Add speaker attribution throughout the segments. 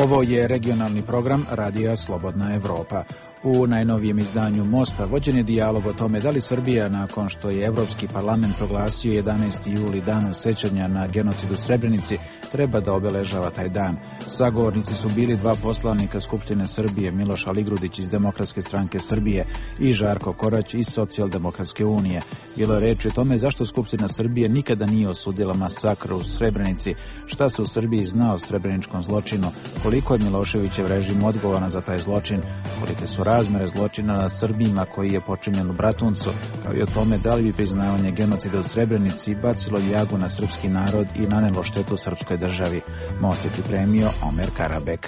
Speaker 1: Ovo je regionalni program Radija Slobodna Evropa. U najnovijem izdanju Mosta vođen je dijalog o tome da li Srbija, nakon što je Evropski parlament proglasio 11. juli danom sećanja na genocid u Srebrenici, treba da obeležava taj dan. Sagovornici su bili dva poslanika Skupštine Srbije, Miloš Aligrudić iz Demokratske stranke Srbije i Žarko Korać iz Socijaldemokratske unije. Bilo je reči o tome zašto Skupština Srbije nikada nije osudila masakr u Srebrenici, šta se u Srbiji zna o srebreničkom zločinu, koliko je Miloševićev režim odgovoran za taj zločin, kolike su razmere zločina nad Srbima koji je počinjen u Bratuncu, kao i o tome da li bi priznavanje genocida u Srebrenici bacilo ljagu na srpski narod i nanelo štetu srpskoj državi. Most je pripremio Omer Karabek.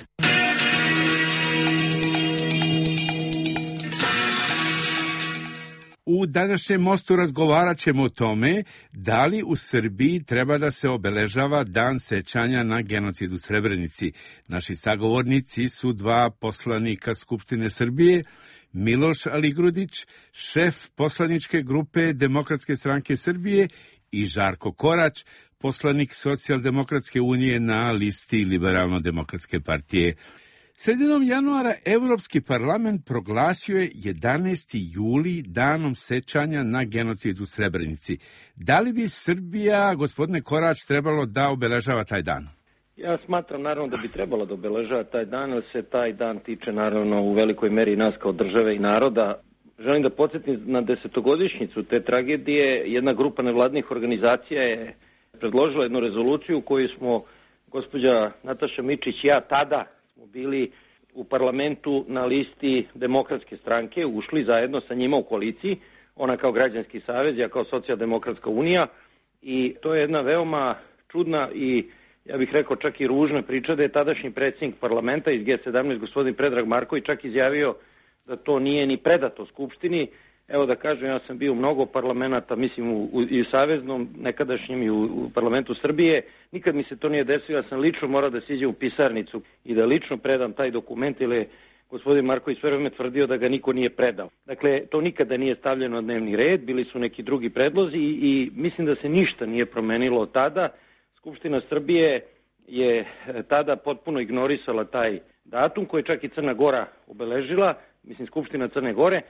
Speaker 2: U današnjem Mostu razgovarat ćemo o tome da li u Srbiji treba da se obeležava dan sećanja na genocid u Srebrenici. Naši sagovornici su dva poslanika Skupštine Srbije, Miloš Aligrudić, šef poslaničke grupe Demokratske stranke Srbije, i Žarko Korać, poslanik Socijaldemokratske unije na listi Liberalno-demokratske partije. Sredinom januara Evropski parlament proglasio je 11. juli danom sećanja na genocid u Srebrenici. Da li bi Srbija, gospodine Korać, trebalo da obeležava taj dan?
Speaker 3: Ja smatram naravno da bi trebalo da obeležava taj dan, ali se taj dan tiče naravno u velikoj meri nas kao države i naroda. Želim da podsjetim na 10-godišnjicu te tragedije. Jedna grupa nevladnih organizacija je predložila jednu rezoluciju koju smo, gospođa Nataša Mićić i ja, tada smo bili u parlamentu na listi Demokratske stranke, ušli zajedno sa njima u koaliciji, ona kao Građanski savez, ja kao Socijaldemokratska unija, i to je jedna veoma čudna i, ja bih rekao, čak i ružna priča da je tadašnji predsjednik parlamenta iz G17, gospodin Predrag Marković, čak izjavio da to nije ni predato Skupštini. Evo da kažem, ja sam bio u mnogo parlamenta, mislim i u Saveznom, nekadašnjem i u parlamentu Srbije. Nikad mi se to nije desilo, ja sam lično morao da siđe u pisarnicu i da lično predam taj dokument, ili je gospodin Marković sve vreme tvrdio da ga niko nije predao. Dakle, to nikada nije stavljeno na dnevni red, bili su neki drugi predlozi i mislim da se ništa nije promenilo od tada. Skupština Srbije je tada potpuno ignorisala taj datum koji je čak i Crna Gora obeležila, mislim Skupština Crne Gore,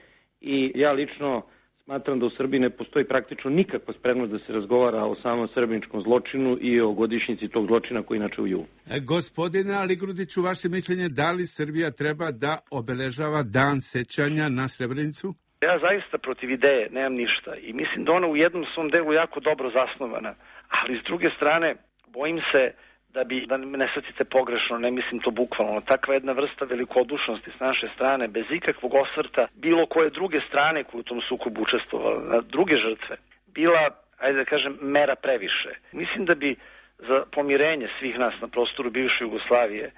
Speaker 3: i ja lično smatram da u Srbiji ne postoji praktično nikakva spremnost da se razgovara o samom srebreničkom zločinu i o godišnjici tog zločina koji inače u julu.
Speaker 2: Gospodine Aligrudiću, vaše mišljenje, da li Srbija treba da obeležava dan sećanja na Srebrenicu?
Speaker 4: Ja zaista protiv ideje nemam ništa i mislim da ona u jednom svom delu jako dobro zasnovana, ali s druge strane bojim se da me ne shvatite pogrešno, ne mislim to bukvalno, takva jedna vrsta velikodušnosti s naše strane, bez ikakvog osvrta bilo koje druge strane koje u tom sukobu učestvovala, na druge žrtve, bila, ajde da kažem, mera previše. Mislim da bi za pomirenje svih nas na prostoru bivše Jugoslavije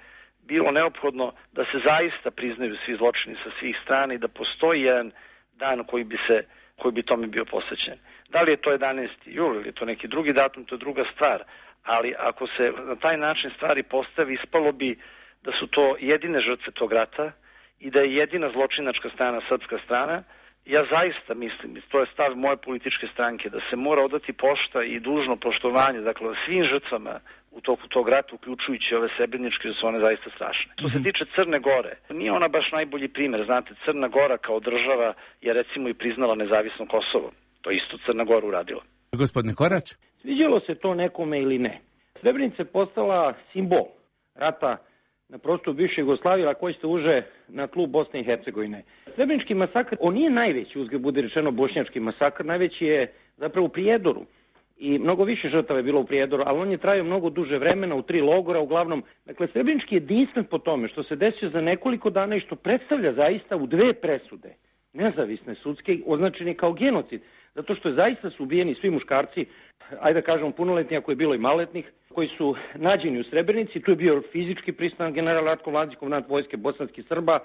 Speaker 4: bilo neophodno da se zaista priznaju svi zločini sa svih strana i da postoji jedan dan koji bi tome bio posvećen. Da li je to 11. jul ili je to neki drugi datum, to je druga stvar. Ali ako se na taj način stvari postavi, ispalo bi da su to jedine žrtve tog rata i da je jedina zločinačka strana srpska strana. Ja zaista mislim, to je stav moje političke stranke, da se mora odati pošta i dužno poštovanje, dakle, svim žrtvama u toku tog rata, uključujući ove srebreničke, da su one zaista strašne. Što se tiče Crne Gore, nije ona baš najbolji primjer. Znate, Crna Gora kao država je recimo i priznala nezavisno Kosovo. To isto Crna Gora uradila.
Speaker 2: Gospodine Korać?
Speaker 3: Sviđalo se to nekome ili ne. Srebrenica je postala simbol rata na prostoru bivše Jugoslavije, a koji ste uže na tlu Bosne i Hercegovine. Srebrenički masakr, on nije najveći, uzgled bude rečeno, bošnjački masakr, najveći je zapravo u Prijedoru. I mnogo više žrtava je bilo u Prijedoru, ali on je trajao mnogo duže vremena, u 3 logora, uglavnom. Dakle, Srebrenički je jedinstven po tome što se desio za nekoliko dana i što predstavlja zaista u 2 presude, nezavisne sudske, označene kao genocid. Zato što je zaista su ubijeni svi muškarci, ajde da kažemo punoletni, ako je bilo i maletnih, koji su nađeni u Srebrenici. Tu je bio fizički prisutan general Ratko Mladić, komandant vojske bosanskih Srba.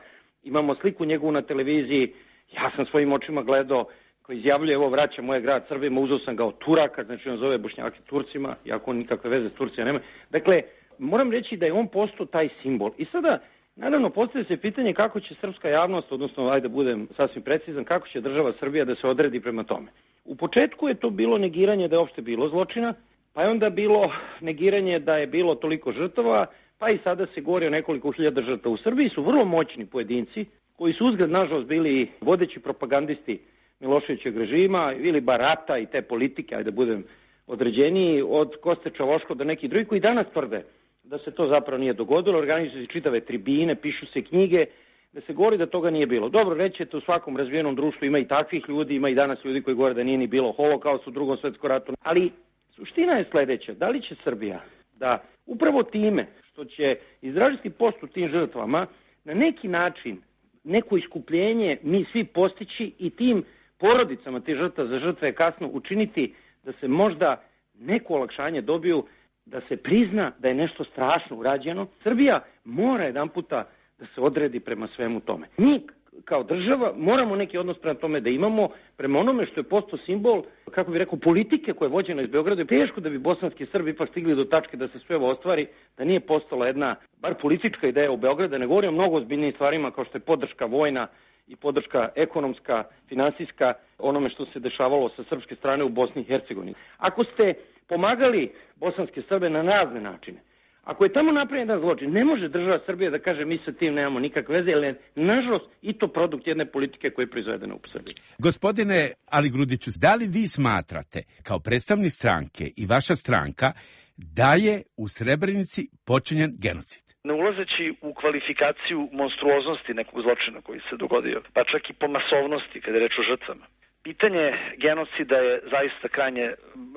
Speaker 3: Imamo sliku njegovu na televiziji. Ja sam svojim očima gledao, koji izjavljuje, evo vraća moje grad Srbima, uzeo sam ga od Turaka, znači on zove Bošnjake Turcima, iako on nikakve veze s Turcija nema. Dakle, moram reći da je on postao taj simbol. I sada, naravno, postavlja se pitanje kako će srpska javnost, odnosno, ajde da budem sasvim precizan, kako će država Srbija da se odredi prema tome. U početku je to bilo negiranje da je uopšte bilo zločina, pa je onda bilo negiranje da je bilo toliko žrtava, pa i sada se govori o nekoliko hiljada žrtava. U Srbiji su vrlo moćni pojedinci koji su uzgled, nažalost, bili vodeći propagandisti Miloševićeg režima ili barata i te politike, ajde da budem određeniji, od Koste Čavoško do neki drugi, koji danas tvrde da se to zapravo nije dogodilo, organizuju se čitave tribine, pišu se knjige, da se govori da toga nije bilo. Dobro, rećete, u svakom razvijenom društvu ima i takvih ljudi, ima i danas ljudi koji govore da nije ni bilo holokaust u Drugom svetskom ratu, ali suština je sledeća, da li će Srbija da upravo time što će izraziti postu tim žrtvama na neki način neko iskupljenje mi svi postići i tim porodicama tih žrtava, za žrtve je kasno, učiniti da se možda neko olakšanje dobiju, da se prizna da je nešto strašno urađeno. Srbija mora jedan puta da se odredi prema svemu tome. Mi kao država moramo neki odnos prema tome da imamo, prema onome što je postao simbol, kako bih rekao, politike koja je vođena iz Beograda. Teško da bi bosanski Srbi ipak stigli do tačke da se sve ovo ostvari, da nije postala jedna, bar politička ideja u Beogradu, ne govorim o mnogo ozbiljnijim stvarima kao što je podrška vojna i podrška ekonomska, finansijska, onome što se dešavalo sa srpske strane u Bosni i Hercegovini. Ako ste pomagali bosanske Srbe na razne načine, ako je tamo napravljen jedan zločin, ne može država Srbije da kaže mi sa tim nemamo nikakve veze, jer je, nažalost, i to produkt jedne politike koja je proizvedena u Srbiji.
Speaker 2: Gospodine Ali Grudiću, da li vi smatrate, kao predstavnik stranke i vaša stranka, da je u Srebrenici počinjen genocid?
Speaker 4: Ne ulazeći u kvalifikaciju monstruoznosti nekog zločina koji se dogodio, pa čak i po masovnosti kada je reč o žrtvama. Pitanje genocida je zaista krajnje,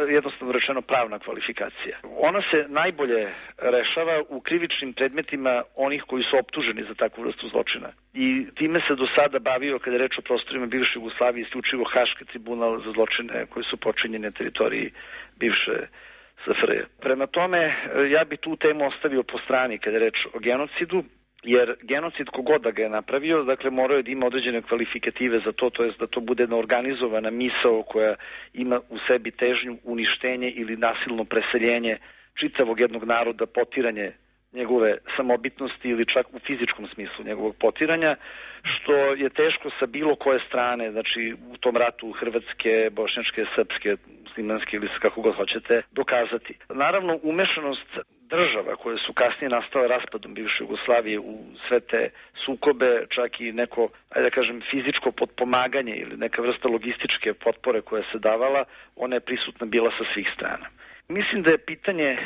Speaker 4: jednostavno rečeno, pravna kvalifikacija. Ona se najbolje rešava u krivičnim predmetima onih koji su optuženi za takvu vrstu zločina. I time se do sada bavio, kada je reč o prostorima bivše Jugoslavije, isključivo Haški tribunal za zločine koji su počinjeni na teritoriji bivše SFRJ. Prema tome, ja bi tu temu ostavio po strani kada je reč o genocidu, jer genocid kogod da ga je napravio, dakle morao je da ima određene kvalifikative za to, to jest da to bude jedna organizovana misao koja ima u sebi težnju uništenje ili nasilno preseljenje čitavog jednog naroda, potiranje njegove samobitnosti ili čak u fizičkom smislu njegovog potiranja, što je teško sa bilo koje strane, znači u tom ratu Hrvatske, bošnjačke, srpske, muslimanske ili kako god hoćete, dokazati. Naravno, umešanost država koje su kasnije nastale raspadom bivše Jugoslavije u sve te sukobe, čak i neko, ajde da kažem, fizičko potpomaganje ili neka vrsta logističke potpore koja se davala, ona je prisutna bila sa svih strana. Mislim da je pitanje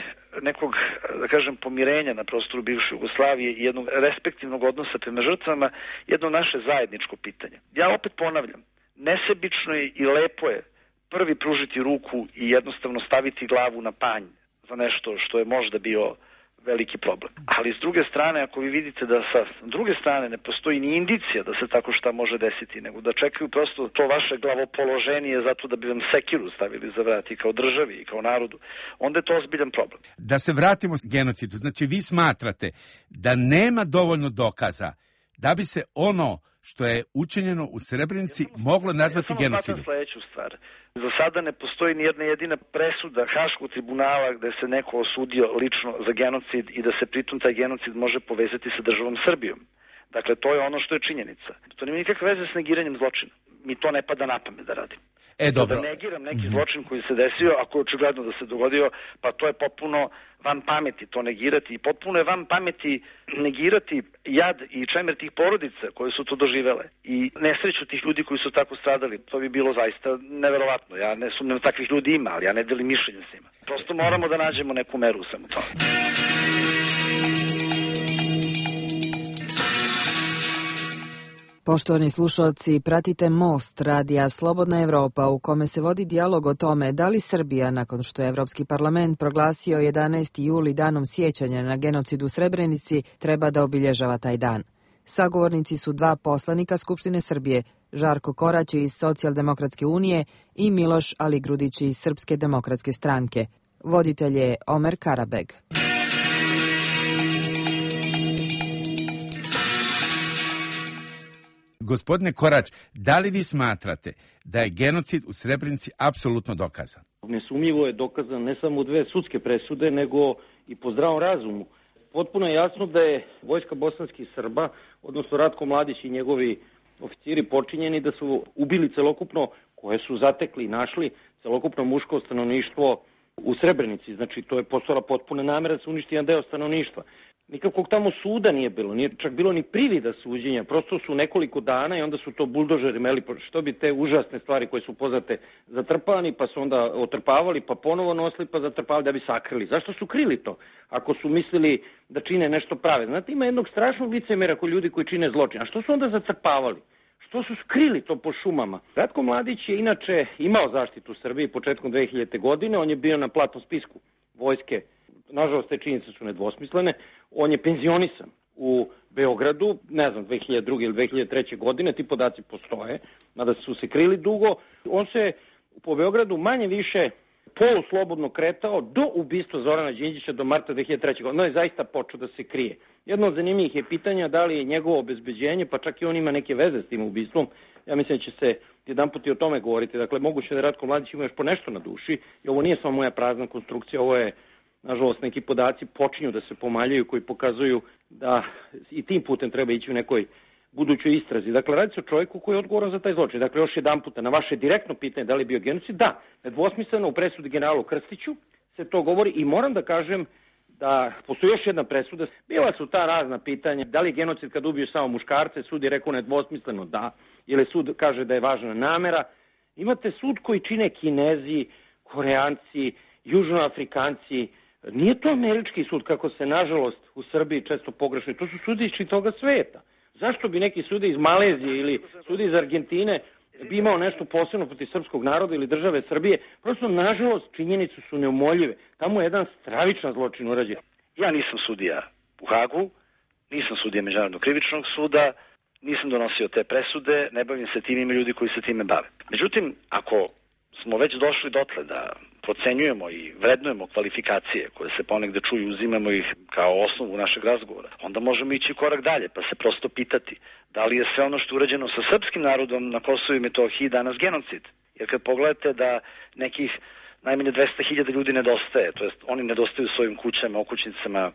Speaker 4: nekog, da kažem, pomirenja na prostoru bivše Jugoslavije i jednog respektivnog odnosa prema žrtvama jedno naše zajedničko pitanje. Ja opet ponavljam, nesebično je i lepo je prvi pružiti ruku i jednostavno staviti glavu na panj za nešto što je možda bio veliki problem. Ali s druge strane, ako vi vidite da sa druge strane ne postoji ni indicija da se tako šta može desiti, nego da čekaju prosto to vaše glavopoloženije zato da bi vam sekiru stavili za vrat i kao državi i kao narodu, onda je to ozbiljan problem.
Speaker 2: Da se vratimo genocidu, znači vi smatrate da nema dovoljno dokaza da bi se ono što je učinjeno u Srebrenici moglo nazvati genocidom.
Speaker 4: Ja samo sledeću stvar. Za sada ne postoji ni jedna jedina presuda Haškog tribunala gde se neko osudio lično za genocid i da se pritom taj genocid može povezati sa državom Srbijom. Dakle, to je ono što je činjenica. To nema nikakve veze s negiranjem zločina. Mi to ne pada na pamet da radimo.
Speaker 2: Dobro.
Speaker 4: Da negiram neki zločin koji se desio, ako je očigledno da se dogodio, pa to je potpuno van pameti to negirati i potpuno je van pameti negirati jad i čemer tih porodica koje su to doživele i nesreću tih ljudi koji su tako stradali. To bi bilo zaista neverovatno. Ja ne sumnjam takvih ljudi ima, ali ja ne delim mišljenje s njima. Prosto moramo da nađemo neku meru u svemu tome.
Speaker 5: Poštovani slušalci, pratite Most radija Slobodna Evropa u kome se vodi dijalog o tome da li Srbija, nakon što je Evropski parlament proglasio 11. juli danom sjećanja na genocid u Srebrenici, treba da obilježava taj dan. Sagovornici su dva poslanika Skupštine Srbije, Žarko Korać iz Socijaldemokratske unije i Miloš Aligrudić iz Srpske demokratske stranke. Voditelj je Omer Karabeg.
Speaker 2: Gospodine Korać, da li vi smatrate da je genocid u Srebrenici apsolutno dokazan?
Speaker 3: Nesumnjivo je dokazan ne samo u dve sudske presude, nego i po zdravom razumu. Potpuno je jasno da je vojska bosanskih Srba, odnosno Ratko Mladić i njegovi oficiri počinjeni da su ubili celokupno, koje su zatekli i našli, celokupno muško stanovništvo u Srebrenici. Znači, to je postala potpuna namera da se uništi jedan deo stanovništva. nikakvog tamo suda nije bilo, nije čak bilo ni privida suđenja, prosto su nekoliko dana i onda su to buldožeri meli, što bi te užasne stvari koje su poznate zatrpani, pa su onda otrpavali, pa ponovo nosili, pa zatrpavali da bi sakrili. Zašto su krili to? Ako su mislili da čine nešto prave. Znate, ima jednog strašnog licemera kod ljudi koji čine zločin. A što su onda zatrpavali? Što su skrili to po šumama? Ratko Mladić je inače imao zaštitu u Srbiji početkom 2000. godine, on je bio na platnom spisku vojske. Nažalost, te činjenice su nedvosmislene. On je penzionisan u Beogradu, ne znam, 2002. ili 2003. godine, ti podaci postoje, mada su se krili dugo. On se po Beogradu manje više poluslobodno kretao do ubistva Zorana Đinđića do marta 2003. godine. On je zaista počeo da se krije. Jedno od zanimljivih je pitanja da li je njegovo obezbeđenje, pa čak i on ima neke veze s tim ubistvom. Ja mislim da će se jedan put i o tome govoriti. Dakle, moguće da Ratko Mladić ima još po nešto na duši i ovo nije samo moja prazna konstrukcija, ovo je, nažalost, neki podaci počinju da se pomaljaju koji pokazuju da i tim putem treba ići u nekoj budućoj istrazi. Dakle, radi se o čovjeku koji je odgovoran za taj zločin. Dakle, još jedan puta, na vaše direktno pitanje da li je bio genocid, da, nedvosmisleno u presudi generalu Krstiću se to govori i moram da kažem da postoji još jedna presuda. Bila su ta razna pitanja, da li je genocid kad ubiju samo muškarce, sud je rekao nedvosmisleno da, ili sud kaže da je važna namera. Imate sud koji čine Kinezi, Koreanci, Južnoafrikanci. Nije to američki sud, kako se nažalost u Srbiji često pogrešno. To su sudi iz čitavog sveta. Zašto bi neki sudi iz Malezije ili sudi iz Argentine bi imao nešto posebno protiv srpskog naroda ili države Srbije? Prosto, nažalost, činjenice su neumoljive. Tamo je jedan stravičan zločin urađen.
Speaker 4: Ja nisam sudija u Hagu, nisam sudija Međunarodnog krivičnog suda, nisam donosio te presude, ne bavim se tim, ima ljudi koji se time bave. Međutim, ako smo već došli dotle da procenjujemo i vrednujemo kvalifikacije koje se ponegde čuju, uzimamo ih kao osnovu našeg razgovora, onda možemo ići korak dalje, pa se prosto pitati da li je sve ono što je urađeno sa srpskim narodom na Kosovu i Metohiji danas genocid. Jer kad pogledate da nekih najmanje 200.000 ljudi nedostaje, to jest oni nedostaju svojim kućama, okućnicama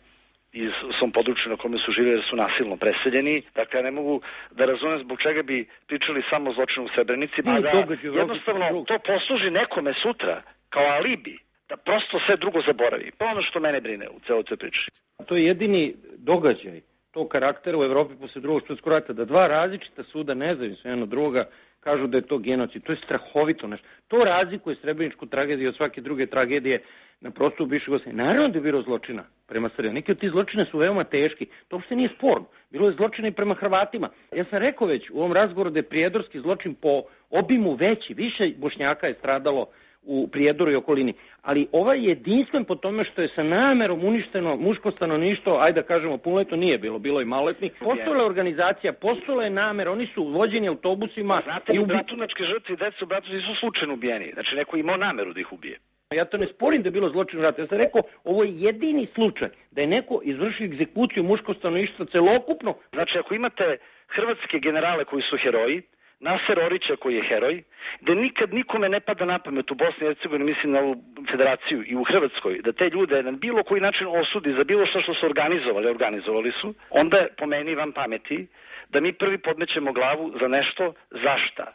Speaker 4: iz svom području na kome su živjeli, jer su nasilno preseljeni. Dakle, ja ne mogu da razumem zbog čega bi pričali samo o zločinu u Srebrenici, pa da jednostavno to posluži nekome sutra kao alibi, da prosto sve drugo zaboravi. Pa ono što mene brine u celoj toj priči.
Speaker 3: To je jedini događaj tog karaktera u Evropi posle Drugog svjetskog rata, da dva različita suda nezavisno jedno drugoga kažu da je to genocid. To je strahovito nešto. To razlikuje srebreničku tragediju od svake druge tragedije na prostoru bivše Jugoslavije. Naravno da je bilo zločina prema Srbima. Neki od tih zločina su veoma teški. To uopšte nije sporno. Bilo je zločina i prema Hrvatima. Ja sam rekao već u ovom razgovoru da je prijedorski zločin po obimu veći. Više Bošnjaka je stradalo u Prijedoru i okolini. Ali ovaj je jedinstven po tome što je sa namerom uništeno muško stanovništvo, ajde da kažemo punoletno nije bilo i maloletnih. Postojala je organizacija, postojala je namer, oni su vođeni autobusima.
Speaker 4: Znate, i bratunačke žrtve i deca u Bratunačku nisu slučajno ubijeni. Znači, neko imao nameru da ih ubije.
Speaker 3: Ja to ne sporim da je bilo zločin u ratu. Ja sam rekao, ovo je jedini slučaj da je neko izvršio egzekuciju muško stanovništva celokupno.
Speaker 4: Znači, ako imate hrvatske generale koji su heroji, Naser Orića koji je heroj, da nikad nikome ne pada na pamet u Bosni i Hercegovini, mislim na ovu federaciju i u Hrvatskoj, da te ljude na bilo koji način osudi za bilo što su organizovali su, onda je po meni van pameti da mi prvi podmećemo glavu za nešto za šta.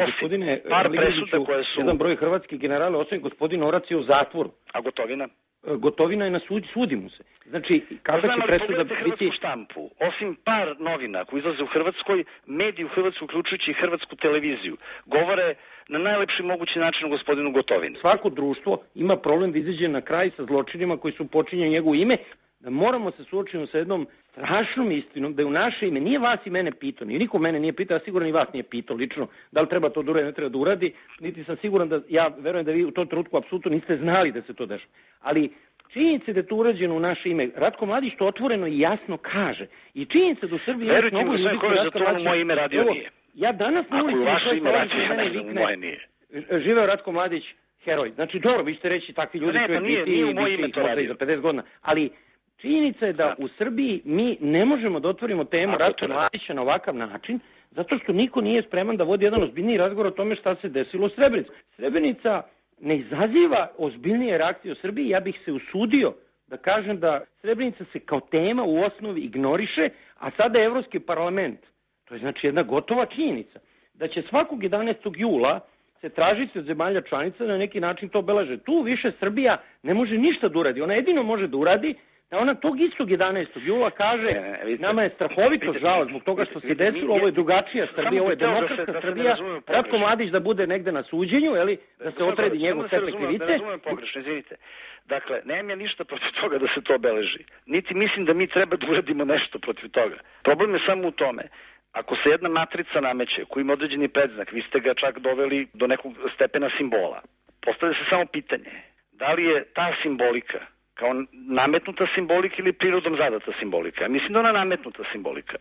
Speaker 3: Gospodine, par presuda koje su... Jedan broj hrvatskih generala, osim gospodin Orac je u zatvoru.
Speaker 4: A Gotovina?
Speaker 3: Gotovina je na sudi mu se. Znači, kada će presuda biti...
Speaker 4: Hrvatsku štampu, osim par novina koji izlaze u Hrvatskoj, mediji u Hrvatskoj, uključujući i Hrvatsku televiziju, govore na najlepši mogući način o gospodinu Gotovini.
Speaker 3: Svako društvo ima problem da izađe na kraj sa zločinima koji su počinjeni njegovo ime, da moramo se suočiti sa jednom strašnom istinom, da je u naše ime, nije vas i mene pitao, ni niko mene nije pitao, a sigurno i vas nije pitao lično, da li treba to da uradi, ne treba da uradi, niti sam siguran da, ja verujem da vi u tom trenutku apsolutno niste znali da se to dešava. Ali činjenica da je to urađeno u naše ime, Ratko Mladić to otvoreno i jasno kaže. I činjenica da u Srbiji...
Speaker 4: Verujte mi, sve koje za to moje ime radio nije.
Speaker 3: Ja danas na ulici...
Speaker 4: Ako je vaše ime radio, moje nije.
Speaker 3: Živeo Ratko Mladić, heroj. Znači, dobro, vi ćete reći takvi ljudi
Speaker 4: koji
Speaker 3: biti
Speaker 4: u moje ime to radio.
Speaker 3: Za 50 godina. Ali činjenica je da u Srbiji mi ne možemo da otvorimo temu Ratka Mladića na ovakav način, zato što niko nije spreman da vodi jedan ozbiljniji razgovor o tome šta se desilo u Srebrenici. Srebrenica ne izaziva ozbiljnije reakcije u Srbiji. Ja bih se usudio da kažem da Srebrenica se kao tema u osnovi ignoriše, a sada je Evropski parlament, to je znači jedna gotova činjenica, da će svakog 11. jula se tražiti od zemalja članica na neki način to obeleže. Tu više Srbija ne može ništa da uradi. Ona jedino može da uradi
Speaker 6: da ona tog istog 11. jula kaže nama je strahovito žao zbog toga što se desilo, ovo je drugačija Srbija, ovo je demokratska Srbija, Ratko Mladić da bude negde na suđenju, da se odredi njegov stepen krivice.
Speaker 4: Da razumem pogrešno, izvinite. Dakle, nemam ja ništa protiv toga da se to obeleži. Niti mislim da mi treba da uradimo nešto protiv toga. Problem je samo u tome. Ako se jedna matrica nameće koja ima određeni predznak, vi ste ga čak doveli do nekog stepena simbola. Postavlja se samo pitanje, da li je ta simbolika kao nametnuta simbolika ili prirodom zadata simbolika? Mislim da ona nametnuta simbolika.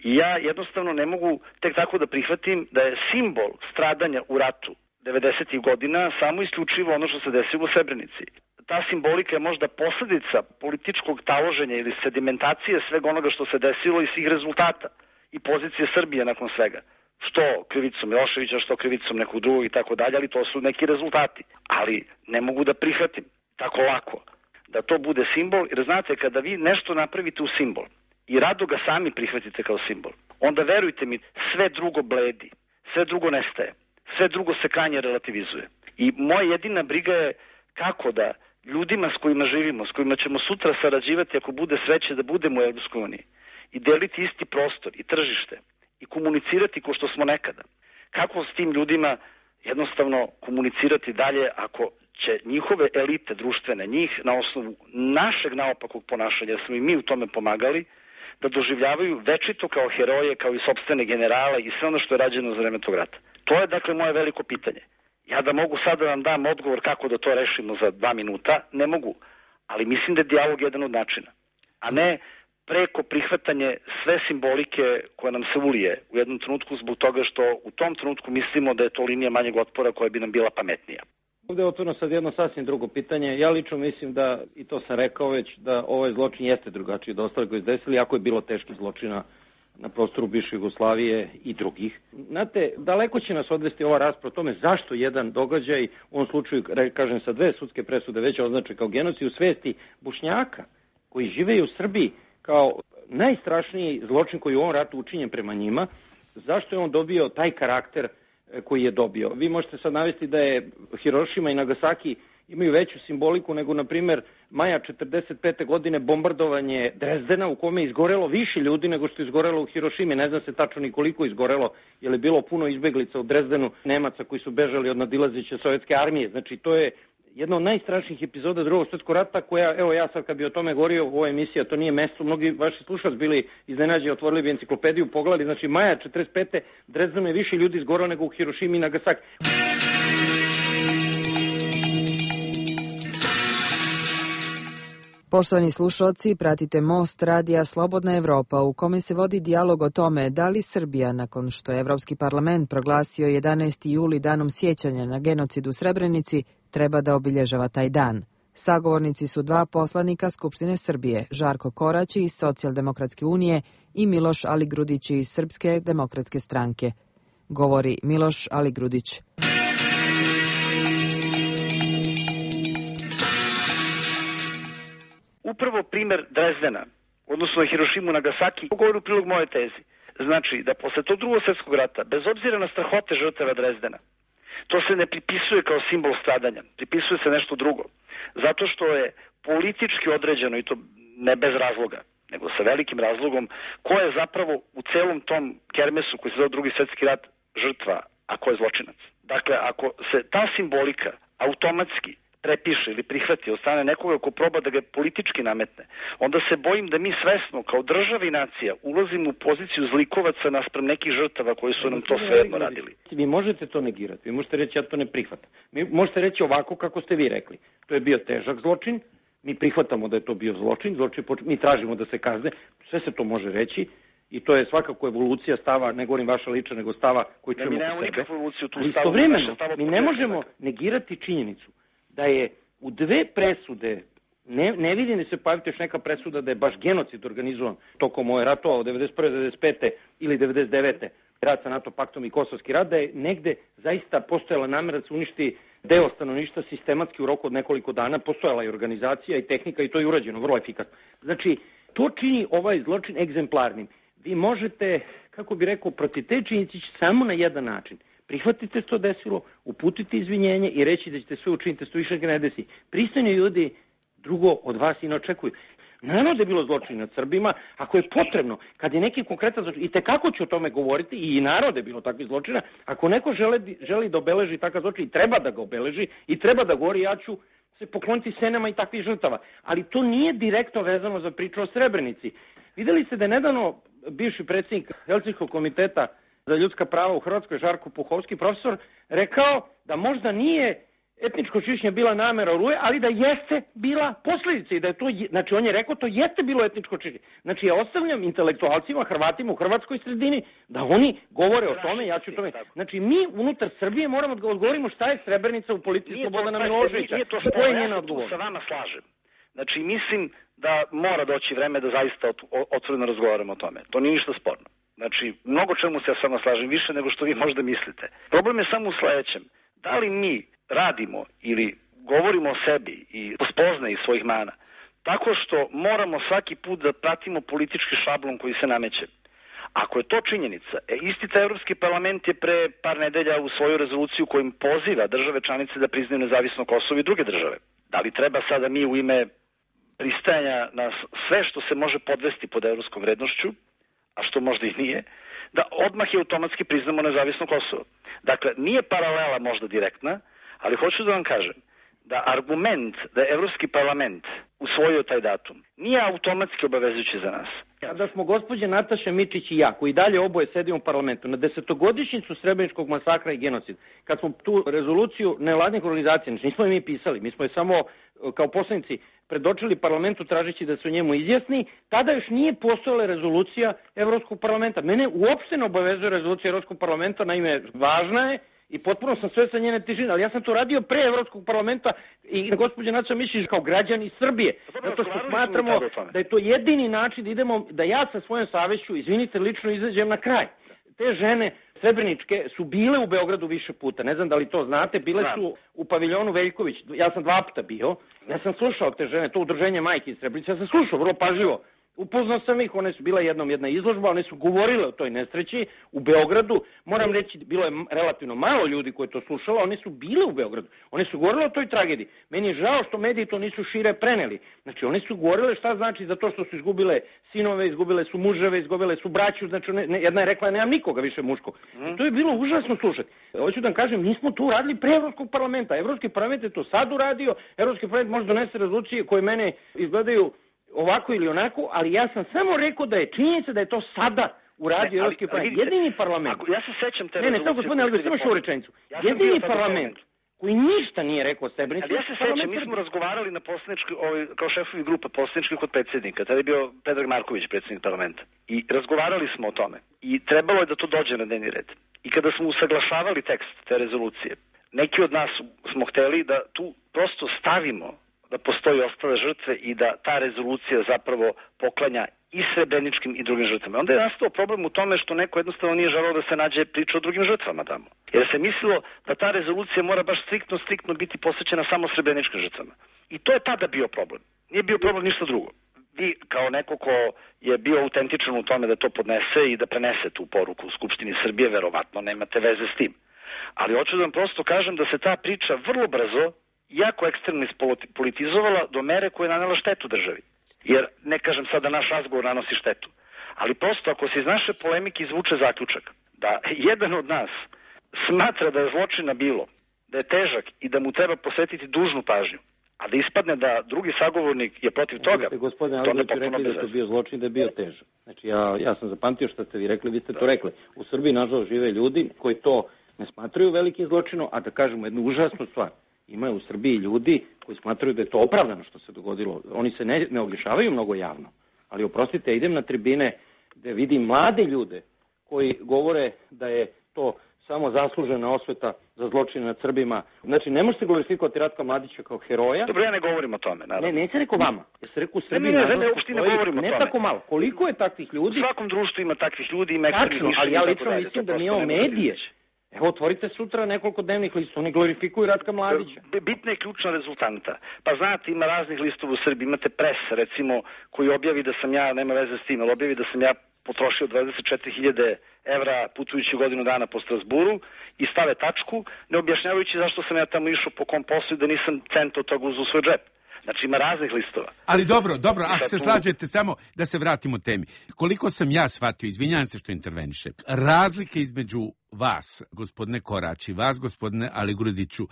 Speaker 4: I ja jednostavno ne mogu tek tako da prihvatim da je simbol stradanja u ratu 90. godina samo isključivo ono što se desilo u Srebrenici. Ta simbolika je možda posledica političkog taloženja ili sedimentacije svega onoga što se desilo i svih rezultata i pozicije Srbije nakon svega. Što krivicom Miloševića, što krivicom nekog drugog i tako dalje, ali to su neki rezultati. Ali ne mogu da prihvatim tako lako da to bude simbol, jer znate, kada vi nešto napravite u simbol i rado ga sami prihvatite kao simbol, onda verujte mi, sve drugo bledi, sve drugo nestaje, sve drugo se krajnje relativizuje. I moja jedina briga je kako da ljudima s kojima živimo, s kojima ćemo sutra sarađivati ako bude sreće da budemo u Europskoj uniji i deliti isti prostor i tržište i komunicirati ko što smo nekada. Kako s tim ljudima jednostavno komunicirati dalje ako će njihove elite društvene, njih na osnovu našeg naopakog ponašanja, jer smo i mi u tome pomagali, da doživljavaju večito kao heroje, kao i sopstvene generale i sve ono što je rađeno za vreme tog rata. To je dakle moje veliko pitanje. Ja da mogu sad da vam dam odgovor kako da to rešimo za 2 minuta, ne mogu, ali mislim da je dijalog jedan od načina, a ne preko prihvatanje sve simbolike koja nam se ulije u jednom trenutku zbog toga što u tom trenutku mislimo da je to linija manjeg otpora koja bi nam bila pametnija.
Speaker 6: Ovdje je otvoreno sad jedno sasvim drugo pitanje. Ja lično mislim da, i to sam rekao već, da ovaj zločin jeste drugačiji od ostalih koji su desili, ako je bilo teških zločina na prostoru bivše Jugoslavije i drugih. Znate, daleko će nas odvesti ova rasprava o tome zašto jedan događaj, u ovom slučaju, kažem, sa 2 sudske presude već označe kao genocid, u svesti Bošnjaka koji žive u Srbiji kao najstrašniji zločin koji je u ovom ratu učinjen prema njima, zašto je on dobio taj karakter koji je dobio. Vi možete sad navesti da je Hirošima i Nagasaki imaju veću simboliku nego, na primjer, maja 1945. godine bombardovanje Drezdena u kome je izgorelo više ljudi nego što je izgorelo u Hirošimi. Ne zna se tačno ni koliko izgorelo, jer je bilo puno izbeglica u Drezdenu, Nemaca koji su bežali od nadilazeće sovjetske armije. Znači, to je jedna od najstrašnijih epizoda Drugog svjetskog rata koja, evo ja sad kad bi o tome govorio u ovoj emisiji, a to nije mesto, mnogi vaši slušalci bili iznenađeni, otvorili bi enciklopediju, pogledali, znači maja 1945. Drezdenu je više ljudi izgorelo nego u Hirošimi i Nagasaki.
Speaker 5: Poštovani slušalci, pratite Most radija Slobodna Evropa u kome se vodi dijalog o tome da li Srbija, nakon što je Evropski parlament proglasio 11. juli danom sjećanja na genocid u Srebrenici, treba da obilježava taj dan. Sagovornici su 2 poslanika Skupštine Srbije, Žarko Korać iz Socijaldemokratske unije i Miloš Aligrudić iz Srpske demokratske stranke. Govori Miloš Aligrudić.
Speaker 4: Upravo primer Drezdena, odnosno Hirošimu, Nagasaki, govori u prilog moje tezi. Znači da posle tog Drugog svjetskog rata, bez obzira na strahote žrtava Drezdena, to se ne pripisuje kao simbol stradanja, pripisuje se nešto drugo. Zato što je politički određeno, i to ne bez razloga, nego sa velikim razlogom, ko je zapravo u celom tom kermesu koji se zove Drugi svjetski rat žrtva, a ko je zločinac. Dakle, ako se ta simbolika automatski prepiše ili prihvati od strane nekoga ko proba da ga politički nametne, onda se bojim da mi svesno kao država i nacija ulazimo u poziciju zlikovaca naspram nekih žrtava koji su nam to svejedno radili.
Speaker 6: Vi možete to negirati, vi možete reći ja to ne prihvatam. Vi možete reći ovako kako ste vi rekli. To je bio težak zločin, mi prihvatamo da je to bio zločin, mi tražimo da se kazne, sve se to može reći. I to je svakako evolucija stava, ne govorim vaša lična, nego stava koji čujemo u sebe. Istovremeno, mi ne možemo negirati činjenicu da je u 2 presude, ne vidim da se pojavite još neka presuda da je baš genocid organizovan tokom ove ratova od 1991. 1995. ili 1999. rat sa NATO paktom i Kosovski rat, da je negde zaista postojala namera da se uništi deo stanovništva sistematski u roku od nekoliko dana, postojala i organizacija i tehnika i to je urađeno vrlo efikasno. Znači, to čini ovaj zločin egzemplarnim. Vi možete, kako bi rekao, protiv te činjenice samo na jedan način. Prihvatite što desilo, uputite izvinjenje i reći da ćete sve učiniti, što više ga ne desi. Pristojni ljudi drugo od vas i ne očekuju. Naravno da je bilo zločin nad Srbima, ako je potrebno, kad je neki konkretan zločin, i tekako će o tome govoriti, i narod je bilo takvih zločina, ako neko želi da obeleži takav zločin, treba da ga obeleži i treba da govori, ja ću se pokloniti senama i takvih žrtava. Ali to nije direktno vezano za priču o Srebrenici. Videli ste da je nedavno bivši predsjednik Helsinškog komiteta za ljudska prava u Hrvatskoj, Žarko Puhovski, profesor, rekao da možda nije etničko čišćenje bila namera Oluje, ali da jeste bila posljedica i da je to, znači on je rekao to jeste bilo etničko čišćenje. Znači ja ostavljam intelektualcima, Hrvatima u hrvatskoj sredini da oni govore o tome, ja ću tome. Znači mi unutar Srbije moramo da odgovorimo šta je Srebrenica u politici Slobodana Miloševića. To je njena odgovornost.
Speaker 4: Ja se sa vama slažem. Znači mislim da mora doći vreme da zaista otvoreno razgovaramo o tome. To nije ništa sporno. Znači mnogo čemu se ja sa vama slažem, više nego što vi možda mislite. Problem je samo u sledećem. Da li mi radimo ili govorimo o sebi i spoznaji svojih mana tako što moramo svaki put da pratimo politički šablon koji se nameće. Ako je to činjenica, isti taj Evropski parlament je pre par nedelja u svoju rezoluciju kojim poziva države članice da priznaju nezavisno Kosovo i druge države. Da li treba sada mi u ime pristajanja na sve što se može podvesti pod evropskom vrednošću, a što možda i nije, da odmah i automatski priznamo nezavisno Kosovo. Dakle, nije paralela možda direktna, ali hoću da vam kažem da argument da je Evropski parlament usvojio taj datum nije automatski obavezujući za nas.
Speaker 6: Da smo gospođe Nataša Mičić i ja, koji dalje oboje sedimo u parlamentu, na 10-godišnjicu Srebreničkog masakra i genocida, kad smo tu rezoluciju nevladnih organizacija, znači nismo je mi pisali, mi smo je samo kao poslanici predočili parlamentu tražeći da se o njemu izjasni, tada još nije postojala rezolucija Evropskog parlamenta. Mene uopšte ne obavezuje rezolucija Evropskog parlamenta, naime važna je, i potpuno sam sve sa njene težine, ali ja sam to radio pre Evropskog parlamenta i gospođa Nataša Mišić kao građani Srbije. Zato što smatramo da je to jedini način da idemo, da ja sa svojom savešću, izvinite, lično izađem na kraj. Te žene srebreničke su bile u Beogradu više puta, ne znam da li to znate, bile su u paviljonu Veljković, ja sam 2 puta bio, ja sam slušao te žene, to udruženje majke iz Srebrenice, ja sam slušao vrlo pažljivo. Upoznao sam ih, one su bila jedna izložba, one su govorile o toj nesreći u Beogradu. Moram reći, bilo je relativno malo ljudi koji to slušalo, one su bile u Beogradu. One su govorile o toj tragediji. Meni je žao što mediji to nisu šire preneli. Znači, one su govorile šta znači za to što su izgubile sinove, izgubile su muževe, izgubile su braću. Znači, jedna je rekla, nemam nikoga više muškog. I to je bilo užasno slušati. Hoću da vam kažem, mi smo to uradili pre Evropskog parlamenta. Evropski parlament je to sad uradio. Evropski parlament može donesti rezolucije koje mene izgledaju ovako ili onako, ali ja sam samo rekao da je činjenica da je to sada uradio Evropski parlament. Jedini parlament.
Speaker 4: Ja se sećam te rezolucije.
Speaker 6: Ne, gospodine, ali samo još rečenicu. Jedini parlament koji ništa nije rekao o Srebrenici.
Speaker 4: Ja se sećam, mi smo razgovarali na poslaničkoj, kao šefovi grupe poslaničkih kod predsjednika. Tada je bio Predrag Marković, predsjednik parlamenta. I razgovarali smo o tome. I trebalo je da to dođe na dnevni red. I kada smo usaglašavali tekst te rezolucije, neki od nas smo hteli da tu prosto stavimo da postoji ostale žrtve i da ta rezolucija zapravo poklanja i srebreničkim i drugim žrtvama. Onda je nastao problem u tome što neko jednostavno nije želeo da se nađe priča o drugim žrtvama tamo. Jer se mislilo da ta rezolucija mora baš striktno biti posvećena samo srebreničkim žrtvama. I to je tada bio problem. Nije bio problem ništa drugo. Vi kao neko ko je bio autentičan u tome da to podnese i da prenese tu poruku u Skupštini Srbije, verovatno nemate veze s tim. Ali hoću da vam prosto kažem da se ta priča vrlo brzo jako ekstremno ispolitizovala do mere koja je nanela štetu državi. Jer, ne kažem sad da naš razgovor nanosi štetu, ali prosto ako se iz naše polemike izvuče zaključak da jedan od nas smatra da je zločina bilo, da je težak i da mu treba posvetiti dužnu pažnju, a da ispadne da drugi sagovornik je protiv toga,
Speaker 6: gospodine, ali ste rekli da je to bio zločin, da je bio težak. Znači, ja sam zapamtio što ste vi rekli, vi ste to rekli. U Srbiji, nažalost, žive ljudi koji to ne smatraju velikim zločinom, a da kažemo jednu užasnu stvar. Ima u Srbiji ljudi koji smatraju da je to opravdano što se dogodilo. Oni se ne oglašavaju mnogo javno. Ali oprostite, idem na tribine gde vidim mlade ljude koji govore da je to samo zaslužena osveta za zločine nad Srbima. Znači, ne možete glorifikovati Ratka Mladića kao heroja.
Speaker 4: Dobro, ja ne govorim o tome, naravno.
Speaker 6: Ne, neće rekao vama. Ja se rekao u Srbiji,
Speaker 4: ne
Speaker 6: tako malo. Koliko je takvih ljudi?
Speaker 4: U svakom društvu ima takvih ljudi, ima ekstremnih mišljenja.
Speaker 6: Ali ja lično mislim da mi imamo medije. Evo, otvorite sutra nekoliko dnevnih listova, oni glorifikuju Ratka Mladića.
Speaker 4: Bitna je ključna rezultanta. Pa znate, ima raznih listova u Srbiji, imate Pres, recimo, koji objavi da sam ja, nema veze s tim, ali objavi da sam ja potrošio 24.000 evra putujući godinu dana po Strasburu i stave tačku, ne objašnjavajući zašto sam ja tamo išao po kom poslu i da nisam cent od toga uzeo svoj džep. Znači ima raznih listova.
Speaker 2: Ali dobro, ako se slažete, samo da se vratimo temi. Koliko sam ja shvatio, izvinjavam se što interveniše, razlike između vas, gospodine Korać, i vas, gospodine Aligrudiću,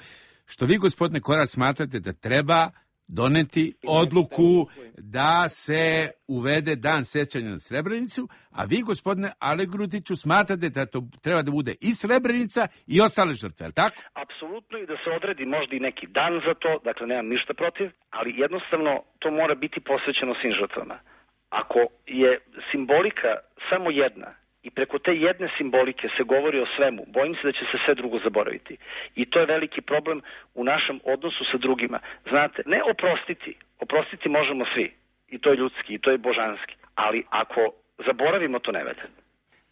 Speaker 2: što vi, gospodine Korać, smatrate da treba doneti odluku da se uvede dan sećanja na Srebrenicu, a vi, gospodine Aligrudiću, smatrate da to treba da bude i Srebrenica i ostale žrtve, je li tako?
Speaker 4: Apsolutno, i da se odredi možda i neki dan za to, dakle nemam ništa protiv, ali jednostavno to mora biti posvećeno svim žrtvama. Ako je simbolika samo jedna i preko te jedne simbolike se govori o svemu, bojim se da će se sve drugo zaboraviti. I to je veliki problem u našem odnosu sa drugima. Znate, ne oprostiti možemo svi. I to je ljudski, i to je božanski. Ali ako zaboravimo, to ne valja.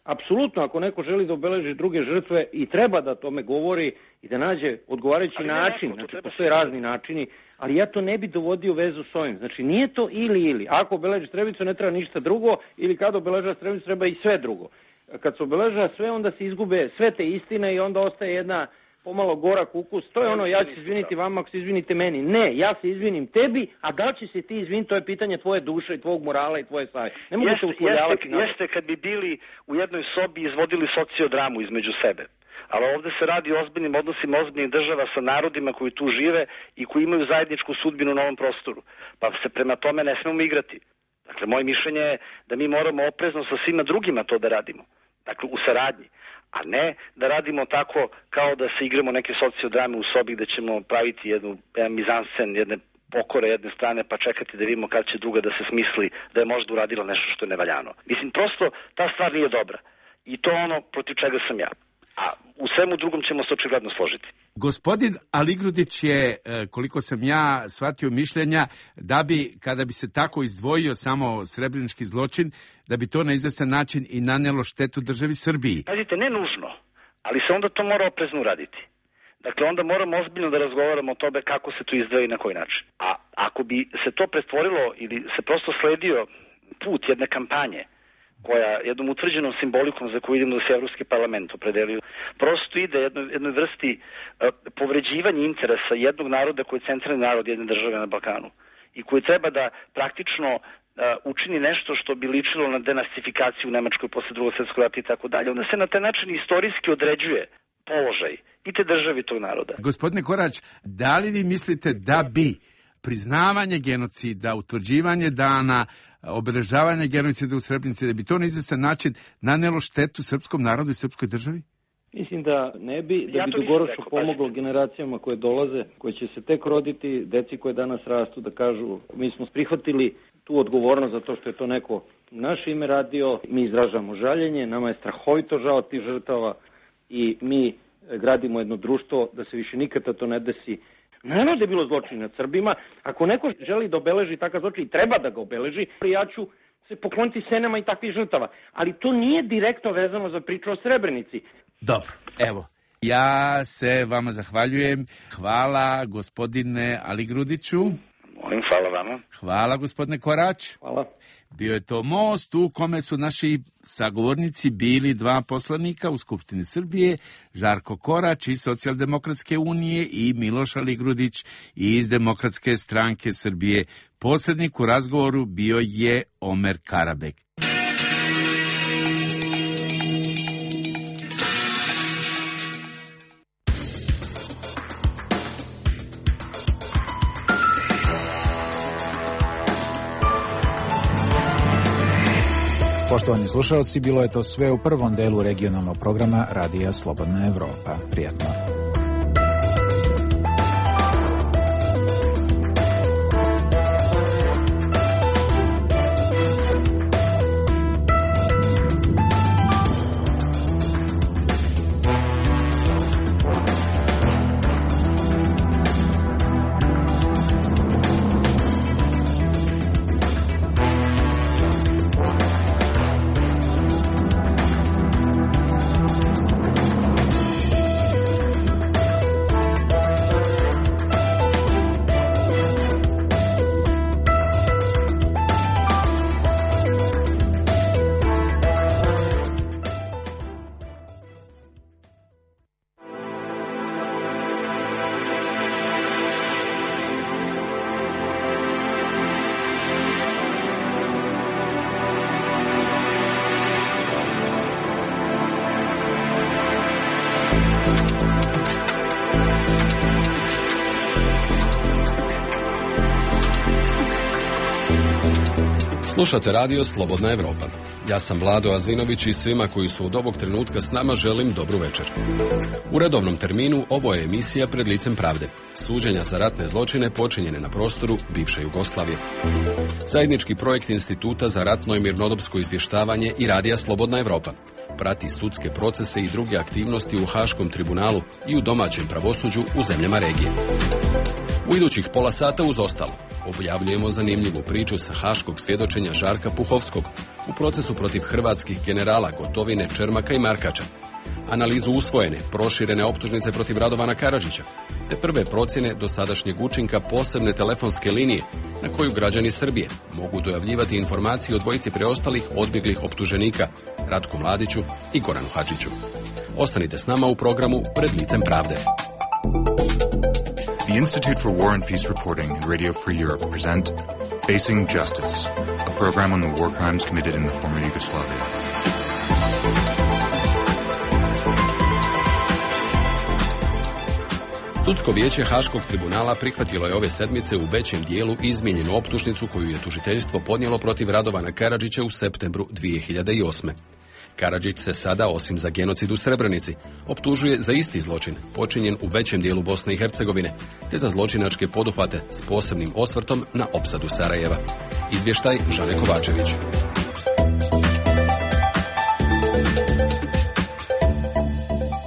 Speaker 6: Apsolutno, ako neko želi da obeleži druge žrtve i treba da tome govori i da nađe odgovarajući način, znači postoje razni načini, ali ja to ne bi dovodio vezu s ovim. Znači nije to ili. Ako obeleži Srebrenicu ne treba ništa drugo, ili kad obeleža Srebrenicu treba i sve drugo. Kad se obeleža sve, onda se izgube sve te istine i onda ostaje jedna pomalo gorak ukus. To je ono, ja ću se izviniti vama ako se izvinite meni. Ne, ja se izvinim tebi, a da li će se ti izviniti, to je pitanje tvoje duše i tvog morala i tvoje savjesti. Ne mogu se uslovljavati.
Speaker 4: Jeste kad bi bili u jednoj sobi i izvodili sociodramu između sebe. Ali ovde se radi o ozbiljnim odnosima ozbiljnih država sa narodima koji tu žive i koji imaju zajedničku sudbinu na ovom prostoru. Pa se prema tome ne smemo igrati. Dakle, moje mišljenje je da mi moramo oprezno sa svima drugima to da radimo. Dakle, u saradnji. A ne da radimo tako kao da se igramo neke sociodrame u sobi gde ćemo praviti jedan mizanscen, jedne pokore jedne strane pa čekati da vidimo kad će druga da se smisli da je možda uradila nešto što je nevaljano. Mislim, prosto ta stvar nije dobra. I to je ono protiv čega sam ja. A u svemu drugom ćemo se očigledno složiti.
Speaker 2: Gospodin Aligrudić je, koliko sam ja shvatio mišljenja, da bi, kada bi se tako izdvojio samo srebrenički zločin, da bi to na izvestan način i nanelo štetu državi Srbiji.
Speaker 4: Pazite, ne nužno, ali se onda to mora oprezno uraditi. Dakle, onda moramo ozbiljno da razgovaramo o tome kako se to izdvaja i na koji način. A ako bi se to pretvorilo ili se prosto sledio put jedne kampanje, koja jednom utvrđenom simbolikom za koju vidimo da se Evropski parlament opredelio, prosto ide jednoj vrsti povređivanja interesa jednog naroda koji je centralni narod jedne države na Balkanu i koji treba da praktično učini nešto što bi ličilo na denacifikaciju u Nemačkoj posle Drugog svjetskog rata i tako dalje. Onda se na taj način istorijski određuje položaj i te države i tog naroda.
Speaker 2: Gospodine Korać, da li vi mislite da bi priznavanje genocida, utvrđivanje dana, obeležavanje genocida u Srebrenici, da bi to na izvestan način nanelo štetu srpskom narodu i srpskoj državi?
Speaker 6: Mislim da ne bi, da bi dugoročno pomoglo generacijama koje dolaze, koje će se tek roditi, deci koje danas rastu, da kažu mi smo prihvatili tu odgovornost zato što je to neko naše ime radio, mi izražavamo žaljenje, nama je strahovito žao tih žrtava i mi gradimo jedno društvo da se više nikada to ne desi. Naravno da je bilo zločin nad Srbima. Ako neko želi da obeleži takav zločin, treba da ga obeleži. Ja ću se pokloniti senama i takvih žrtava. Ali to nije direktno vezano za priču o Srebrenici.
Speaker 2: Dobro, evo. Ja se vama zahvaljujem. Hvala gospodine Aligrudiću.
Speaker 4: Hvala vama.
Speaker 2: Hvala gospodine Korać.
Speaker 6: Hvala.
Speaker 2: Bio je to most u kome su naši sagovornici bili dva poslanika u Skupštini Srbije, Žarko Korać iz Socijaldemokratske unije i Miloš Aligrudić iz Demokratske stranke Srbije. Posrednik u razgovoru bio je Omer Karabek.
Speaker 1: Poštovani slušalci, bilo je to sve u prvom delu regionalnog programa Radija Slobodna Evropa. Prijatno.
Speaker 7: Slušate radio Slobodna Evropa. Ja sam Vlado Azinović i svima koji su od ovog trenutka s nama želim dobru večer. U redovnom terminu ovo je emisija Pred licem pravde. Suđenja za ratne zločine počinjene na prostoru bivše Jugoslavije. Zajednički projekt Instituta za ratno i mirnodopsko izvještavanje i radija Slobodna Evropa prati sudske procese i druge aktivnosti u Haškom tribunalu i u domaćem pravosuđu u zemljama regije. U idućih pola sata uz ostalo objavljujemo zanimljivu priču sa haškog svjedočenja Žarka Puhovskog u procesu protiv hrvatskih generala Gotovine, Čermaka i Markača, analizu usvojene, proširene optužnice protiv Radovana Karadžića, te prve procjene dosadašnjeg učinka posebne telefonske linije na koju građani Srbije mogu dojavljivati informacije o dvojici preostalih odbjeglih optuženika, Ratku Mladiću i Goranu Hadžiću. Ostanite s nama u programu Pred licem pravde.
Speaker 8: The Institute for War and Peace Reporting and Radio Free Europe present Facing Justice, a program on the war crimes committed in the former Yugoslavia.
Speaker 7: Sudsko vijeće Haškog tribunala prihvatilo je ove sedmice u većem dijelu izmijenjenu optužnicu koju je tužiteljstvo podnijelo protiv Radovana Karadžića u septembru 2008. Karadžić se sada, osim za genocid u Srebrenici, optužuje za isti zločin, počinjen u većem dijelu Bosne i Hercegovine, te za zločinačke poduhvate s posebnim osvrtom na opsadu Sarajeva. Izvještaj Žane Kovačević.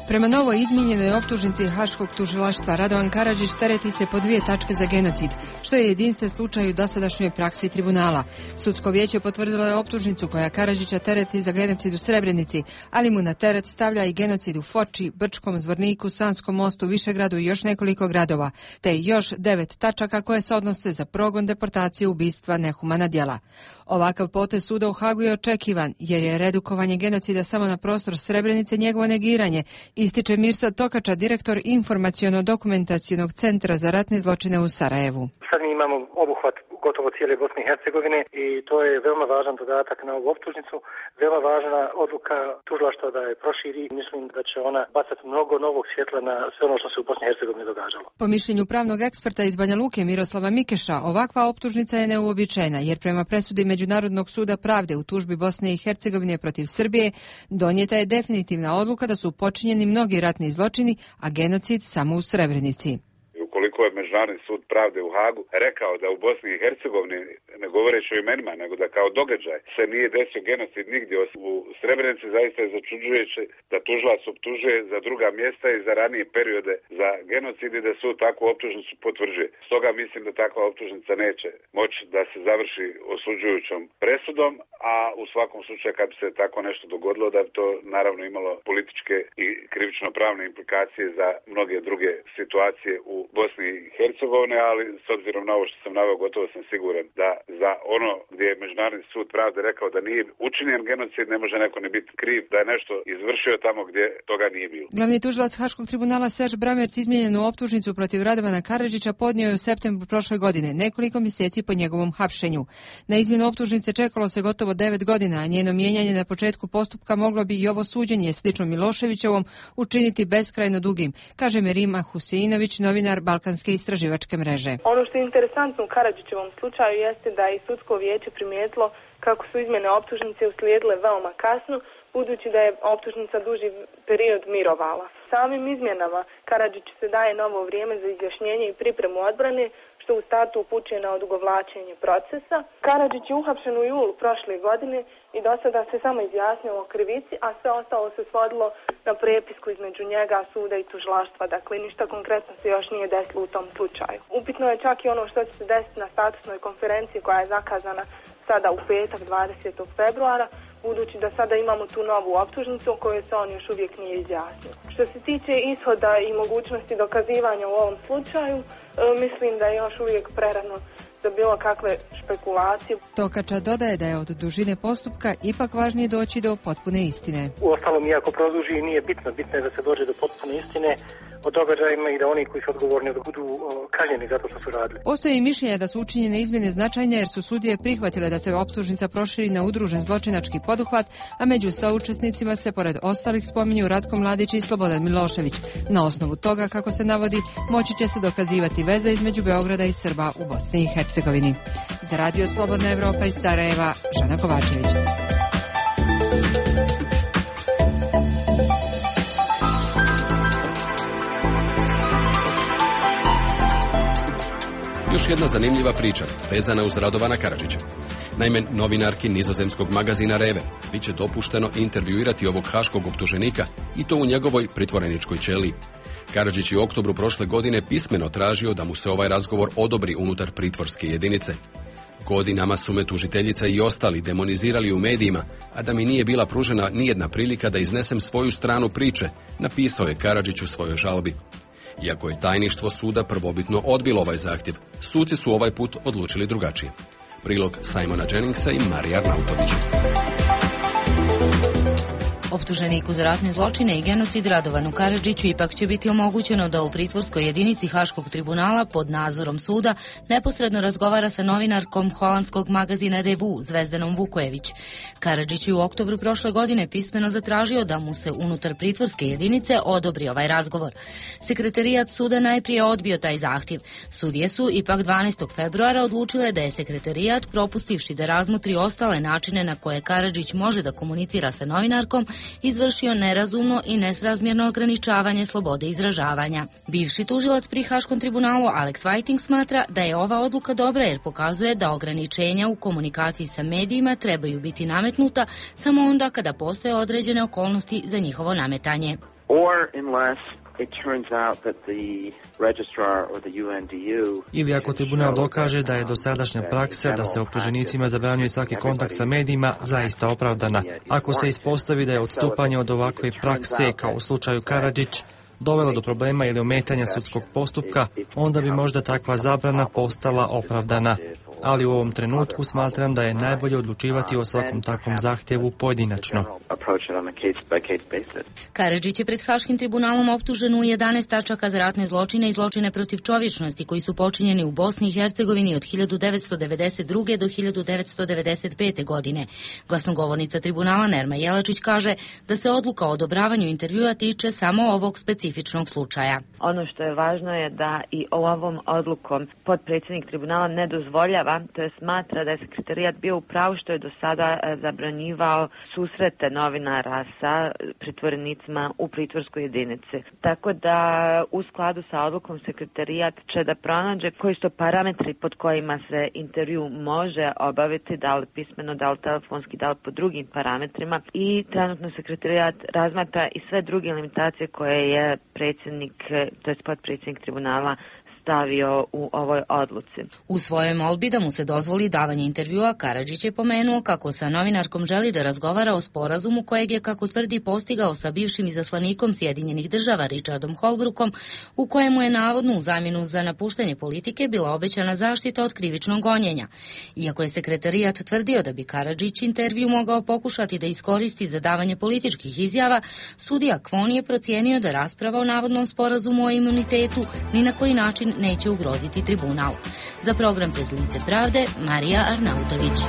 Speaker 9: Prema novoj izmijenjenoj optužnici Haškog tužilaštva Radovan Karadžić tereti se po 2 tačke za genocid, što je jedinstven slučaj u dosadašnjoj praksi tribunala. Sudsko vijeće potvrdilo je optužnicu koja Karadžića tereti za genocid u Srebrenici, ali mu na teret stavlja i genocid u Foči, Brčkom, Zvorniku, Sanskom mostu, Višegradu i još nekoliko gradova, te još 9 tačaka koje se odnose za progon, deportaciju, ubistva, nehumana djela. Ovakav potez suda u Hagu je očekivan, jer je redukovanje genocida samo na prostor Srebrenice njegovo negiranje, ističe Mirsad Tokača, direktor Informaciono-dokumentacionog centra za ratne zločine u Sarajevu.
Speaker 10: Sad mi imamo obuhvat gotovo cijele Bosne i Hercegovine i to je veoma važan dodatak na ovu optužnicu, veoma važna odluka tužilaštva da je proširi. Mislim da će ona bacati mnogo novog svjetla na sve ono što se u Bosni i Hercegovini događalo.
Speaker 9: Po mišljenju pravnog eksperta iz Banja Luke Miroslava Mikeša, ovakva optužnica je neuobičajena, jer prema presudi Međunarodnog suda pravde u tužbi Bosne i Hercegovine protiv Srbije donijeta je definitivna odluka da su počinjeni mnogi ratni zločini, a genocid samo u Srebrenici.
Speaker 11: Ukoliko je Međunarodni sud pravde u Hagu rekao da u Bosni i Hercegovini, ne govoreći o imenima, nego da kao događaj se nije desio genocid nigdje u Srebrenici, zaista je začuđujuće da tužilac optužuje za druga mjesta i za ranije periode za genocid i da sud takvu optužnicu potvrđuje. Stoga mislim da takva optužnica neće moći da se završi osuđujućom presudom, a u svakom slučaju kad bi se tako nešto dogodilo da bi to naravno imalo političke i krivično-pravne implikacije za mnoge druge situacije u Bosni i Hercegovine, ali s obzirom na ovo što sam naveo, gotovo sam siguran da za ono gdje je Međunarodni sud pravde rekao da nije učinjen genocid, ne može neko ne biti kriv da je nešto izvršio tamo gdje toga nije bilo.
Speaker 9: Glavni tužilac Haškog tribunala Serž Bramerc izmijenjenu optužnicu protiv Radovana Karadžića podnio je u septembru prošle godine, nekoliko mjeseci po njegovom hapšenju. Na izmjenu optužnice čekalo se gotovo 9 godina, a njeno mijenjanje na početku postupka moglo bi i ovo suđenje, slično Miloševićevom, učiniti beskrajno dugim, kaže Merima Huseinović, novinar Balkanske istraživačke mreže.
Speaker 12: Ono što je interesantno u Karadžićevom slučaju jeste da je sudsko vijeće primijetilo kako su izmjene optužnice uslijedile veoma kasno, budući da je optužnica duži period mirovala. Samim izmjenama Karadžiću se daje novo vrijeme za izjašnjenje i pripremu odbrane, što u startu upućuje na odugovlačenje procesa. Karadžić je uhapšen u julu prošle godine i do sada se samo izjasnio o krivici, a sve ostalo se svodilo na prepisku između njega, suda i tužilaštva. Dakle, ništa konkretno se još nije desilo u tom slučaju. Upitno je čak i ono što će se desiti na statusnoj konferenciji koja je zakazana sada u petak 20. februara, budući da sada imamo tu novu optužnicu o kojoj se on još uvijek nije izjasnio. Što se tiče ishoda i mogućnosti dokazivanja u ovom slučaju, mislim da je još uvijek prerano za bilo kakve špekulacije.
Speaker 9: Tokača dodaje da je od dužine postupka ipak važnije doći do potpune istine.
Speaker 10: Uostalom, iako produži, nije bitno. Bitno je da se dođe do potpune istine. o događajima i da oni koji su odgovorni budu kažnjeni zato što su radili.
Speaker 9: Postoji mišljenje da su učinjene izmjene značajne jer su sudije prihvatile da se optužnica proširi na udružen zločinački poduhvat, a među saučesnicima se pored ostalih spominju Ratko Mladić i Slobodan Milošević. Na osnovu toga, kako se navodi, moći će se dokazivati veza između Beograda i Srba u Bosni i Hercegovini. Za Radio Slobodna Evropa iz Sarajeva, Žana Kovačević.
Speaker 7: Još jedna zanimljiva priča, vezana uz Radovana Karadžića. Naime, novinarki nizozemskog magazina Reve biće dopušteno intervjuirati ovog haškog optuženika i to u njegovoj pritvoreničkoj ćeliji. Karadžić je u oktobru prošle godine pismeno tražio da mu se ovaj razgovor odobri unutar pritvorske jedinice. Godinama su me tužiteljica i ostali demonizirali u medijima, a da mi nije bila pružena nijedna prilika da iznesem svoju stranu priče, napisao je Karadžić u svojoj žalbi. Iako je tajništvo suda prvobitno odbilo ovaj zahtjev, suci su ovaj put odlučili drugačije. Prilog Simona Jenningsa i Marija Arnautovića.
Speaker 13: Optuženiku za ratne zločine i genocid Radovanu Karadžiću ipak će biti omogućeno da u pritvorskoj jedinici Haškog tribunala pod nadzorom suda neposredno razgovara sa novinarkom holandskog magazina Revu Zvezdanom Vukojević. Karadžić je u oktobru prošle godine pismeno zatražio da mu se unutar pritvorske jedinice odobri ovaj razgovor. Sekretarijat suda najprije odbio taj zahtjev. Sudije su ipak 12. februara odlučile da je sekretarijat, propustivši da razmotri ostale načine na koje Karadžić može da komunicira sa novinarkom, izvršio nerazumno i nesrazmjerno ograničavanje slobode izražavanja. Bivši tužilac pri Haškom tribunalu Alex Whiting smatra da je ova odluka dobra jer pokazuje da ograničenja u komunikaciji sa medijima trebaju biti nametnuta samo onda kada postoje određene okolnosti za njihovo nametanje.
Speaker 14: Ili ako tribunal dokaže da je dosadašnja praksa da se optuženicima zabranjuje svaki kontakt sa medijima zaista opravdana. Ako se ispostavi da je odstupanje od ovakve prakse, kao u slučaju Karadžić, dovelo do problema ili ometanja sudskog postupka, onda bi možda takva zabrana postala opravdana. Ali u ovom trenutku smatram da je najbolje odlučivati o svakom takvom zahtjevu pojedinačno.
Speaker 13: Karadžić je pred Haškim tribunalom optužen u 11 tačaka za ratne zločine i zločine protiv čovječnosti koji su počinjeni u Bosni i Hercegovini od 1992. do 1995. godine. Glasnogovornica tribunala Nerma Jelačić kaže da se odluka o odobravanju intervjua tiče samo ovog specifičnog slučaja.
Speaker 15: Ono što je važno je da i ovom odlukom potpredsjednik tribunala ne dozvoljava, to je smatra da je sekretarijat bio u pravu što je do sada zabranjivao susrete novinara sa pritvorenicima u pritvorskoj jedinici. Tako da u skladu sa odlukom sekretarijat će da pronađe koji su parametri pod kojima se intervju može obaviti, da li pismeno, da li telefonski, da li po drugim parametrima, i trenutno sekretarijat razmatra i sve druge limitacije koje je predsjednik, to je potpredsjednik tribunala, stavio u ovoj odluci.
Speaker 13: U svojoj molbi da mu se dozvoli davanje intervjua, Karadžić je pomenuo kako sa novinarkom želi da razgovara o sporazumu kojeg je, kako tvrdi, postigao sa bivšim izaslanikom Sjedinjenih država Richardom Holbrookom, u kojemu je navodno u zamjenu za napuštanje politike bila obećana zaštita od krivičnog gonjenja. Iako je sekretarijat tvrdio da bi Karadžić intervju mogao pokušati da iskoristi za davanje političkih izjava, sudija Kvon je procijenio da rasprava o navodnom sporazumu o imunitetu ni na koji način neće ugroziti tribunal. Za program Pred lice pravde, Marija Arnautović.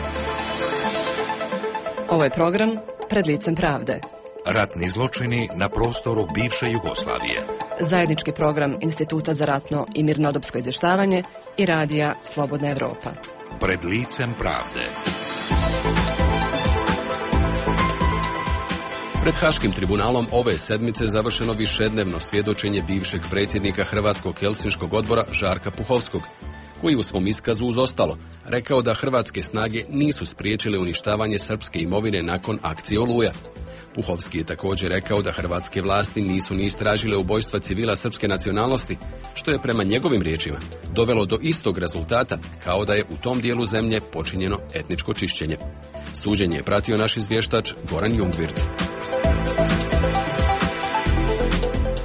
Speaker 5: Ovo je program Pred licem pravde.
Speaker 16: Ratni zločini na prostoru bivše Jugoslavije.
Speaker 5: Zajednički program Instituta za ratno i mirnodopsko izvještavanje i radija Slobodna Evropa.
Speaker 16: Pred licem pravde.
Speaker 7: Pred Haškim tribunalom ove sedmice završeno višednevno svjedočenje bivšeg predsjednika Hrvatskog helsinškog odbora Žarka Puhovskog, koji u svom iskazu uz ostalo rekao da hrvatske snage nisu spriječile uništavanje srpske imovine nakon akcije Oluja. Puhovski je također rekao da hrvatske vlasti nisu ni istražile ubojstva civila srpske nacionalnosti, što je prema njegovim riječima dovelo do istog rezultata kao da je u tom dijelu zemlje počinjeno etničko čišćenje. Suđenje je pratio naš izvještač Goran Jungwirth.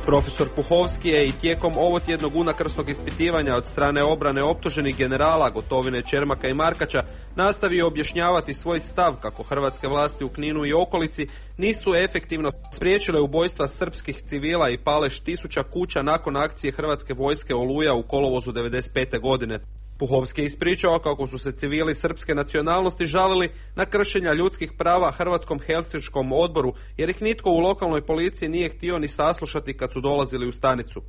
Speaker 17: Profesor Puhovski je i tijekom ovotjednog unakrsnog ispitivanja od strane obrane optuženih generala Gotovine, Čermaka i Markača nastavio objašnjavati svoj stav kako hrvatske vlasti u Kninu i okolici nisu efektivno spriječile ubojstva srpskih civila i paleš tisuća kuća nakon akcije hrvatske vojske Oluja u kolovozu 1995. godine. Puhovski je ispričao kako su se civili srpske nacionalnosti žalili na kršenja ljudskih prava Hrvatskom helsinškom odboru, jer ih nitko u lokalnoj policiji nije htio ni saslušati kad su dolazili u stanicu.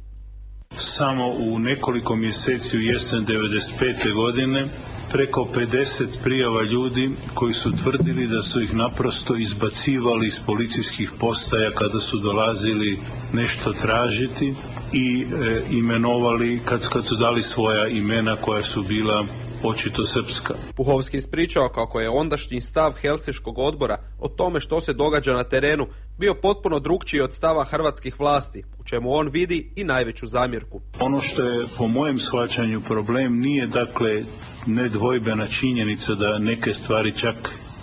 Speaker 18: Samo u nekoliko mjeseci u jesen 1995. godine preko 50 prijava ljudi koji su tvrdili da su ih naprosto izbacivali iz policijskih postaja kada su dolazili nešto tražiti i imenovali kad su dali svoja imena koja su bila očito srpska.
Speaker 17: Puhovski ispričao kako je ondašnji stav Helsinškog odbora o tome što se događa na terenu bio potpuno drukčiji od stava hrvatskih vlasti, u čemu on vidi i najveću zamjerku.
Speaker 18: Ono što je po mojem shvaćanju problem nije dakle nedvojbena činjenica da neke stvari čak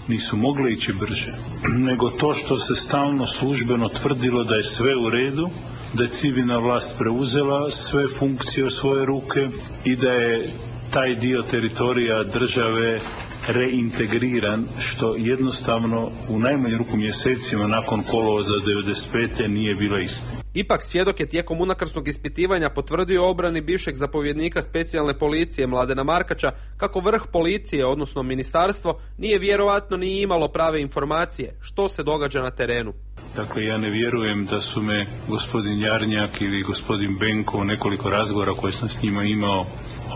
Speaker 18: nisu mogle ići brže, nego to što se stalno službeno tvrdilo da je sve u redu, da je civilna vlast preuzela sve funkcije u svoje ruke i da je taj dio teritorija države reintegriran, što jednostavno u najmanju ruku mjesecima nakon kolovoza 1995. nije bila istina.
Speaker 17: Ipak svjedok je tijekom unakrsnog ispitivanja potvrdio obrani bivšeg zapovjednika specijalne policije Mladena Markača kako vrh policije, odnosno ministarstvo, nije vjerovatno ni imalo prave informacije što se događa na terenu.
Speaker 18: Dakle, ja ne vjerujem da su me gospodin Jarnjak ili gospodin Benko u nekoliko razgovora koje sam s njima imao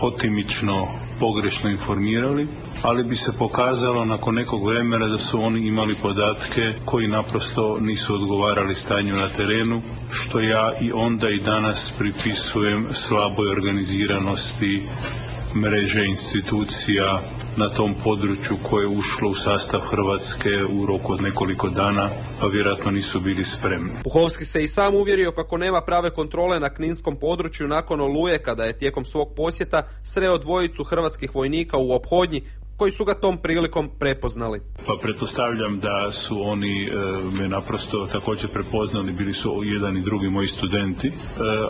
Speaker 18: hotimično, pogrešno informirali, ali bi se pokazalo nakon nekog vremena da su oni imali podatke koji naprosto nisu odgovarali stanju na terenu, što ja i onda i danas pripisujem slaboj organiziranosti mreže institucija na tom području koje je ušlo u sastav Hrvatske u roku od nekoliko dana, pa vjerojatno nisu bili spremni.
Speaker 17: Puhovski se i sam uvjerio kako nema prave kontrole na kninskom području nakon Oluje, kada je tijekom svog posjeta sreo dvojicu hrvatskih vojnika u ophodnji koji su ga tom prilikom prepoznali.
Speaker 18: Pa pretpostavljam da su oni me naprosto također prepoznali, bili su jedan i drugi moji studenti,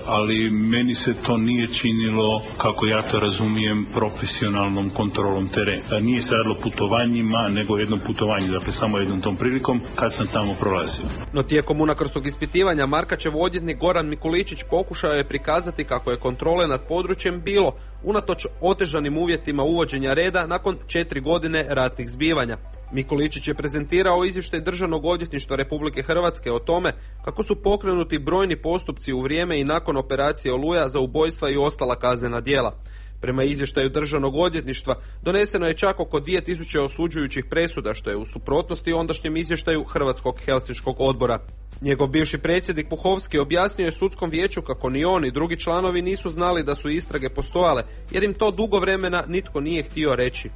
Speaker 18: ali meni se to nije činilo, kako ja to razumijem, profesionalnom kontrolom terena. Nije se radilo putovanjima, nego jednom putovanju, dakle samo jednom tom prilikom kad sam tamo prolazio.
Speaker 17: No tijekom unakrsnog ispitivanja Markačev odvjetnik Goran Mikuličić pokušao je prikazati kako je kontrole nad područjem bilo unatoč otežanim uvjetima uvođenja reda nakon 4 godine ratnih zbivanja. Mikuličić je prezentirao izvještaj Državnog odvjetništva Republike Hrvatske o tome kako su pokrenuti brojni postupci u vrijeme i nakon operacije Oluja za ubojstva i ostala kaznena djela. Prema izvještaju Državnog odvjetništva doneseno je čak oko 2000 osuđujućih presuda, što je u suprotnosti ondašnjem izvještaju Hrvatskog helsinškog odbora. Njegov bivši predsjednik Puhovski objasnio je sudskom vijeću kako ni on i drugi članovi nisu znali da su istrage postojale, jer im to dugo vremena nitko nije htio reći.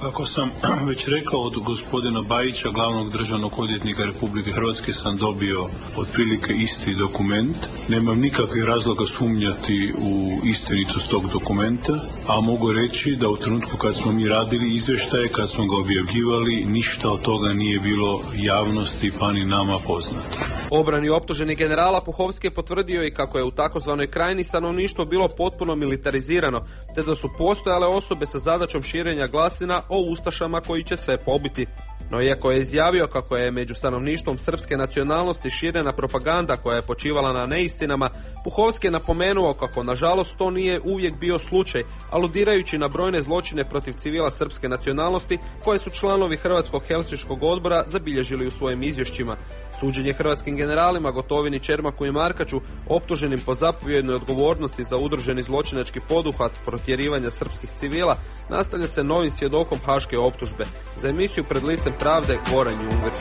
Speaker 18: Kako sam već rekao, od gospodina Bajića, glavnog državnog odvjetnika Republike Hrvatske, sam dobio otprilike isti dokument. Nemam nikakvih razloga sumnjati u istinitost tog dokumenta, a mogu reći da u trenutku kad smo mi radili izvještaje, kad smo ga objavljivali, ništa od toga nije bilo javnosti pa ni nama poznato.
Speaker 17: Obrani optuženi generala Puhovski je potvrdio i kako je u takozvanoj krajini stanovništvo bilo potpuno militarizirano, te da su postojale osobe sa zadaćom širenja glasina o ustašama koji će sve pobiti. No iako je izjavio kako je među stanovništvom srpske nacionalnosti širena propaganda koja je počivala na neistinama, Puhovski je napomenuo kako nažalost to nije uvijek bio slučaj, aludirajući na brojne zločine protiv civila srpske nacionalnosti koje su članovi Hrvatskog helsinškog odbora zabilježili u svojim izvješćima. Suđenje hrvatskim generalima Gotovini, Čermaku i Markaču, optuženim po zapovjednoj odgovornosti za udruženi zločinački poduhvat protjerivanja srpskih civila, nastavlja se novim svjedokom haške optužbe. Za emisiju Pred licem pravde, Goran Junger.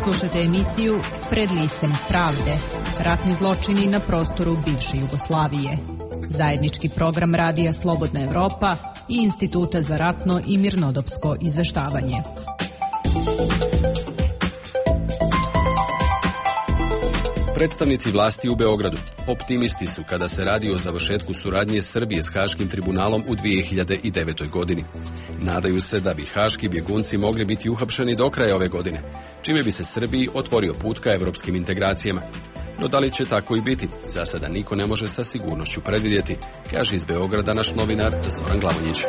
Speaker 19: Slušajte emisiju Pred licem pravde. Ratni zločini na prostoru bivše Jugoslavije. Zajednički program Radija Slobodna Evropa i Instituta za ratno i mirnodopsko izveštavanje.
Speaker 7: Predstavnici vlasti u Beogradu optimisti su kada se radi o završetku suradnje Srbije s Haškim tribunalom u 2009. godini. Nadaju se da bi haški bjegunci mogli biti uhapšeni do kraja ove godine, čime bi se Srbiji otvorio put ka evropskim integracijama. No da li će tako i biti, za sada niko ne može sa sigurnošću predvidjeti, kaže iz Beograda naš novinar Zoran Glavonjić.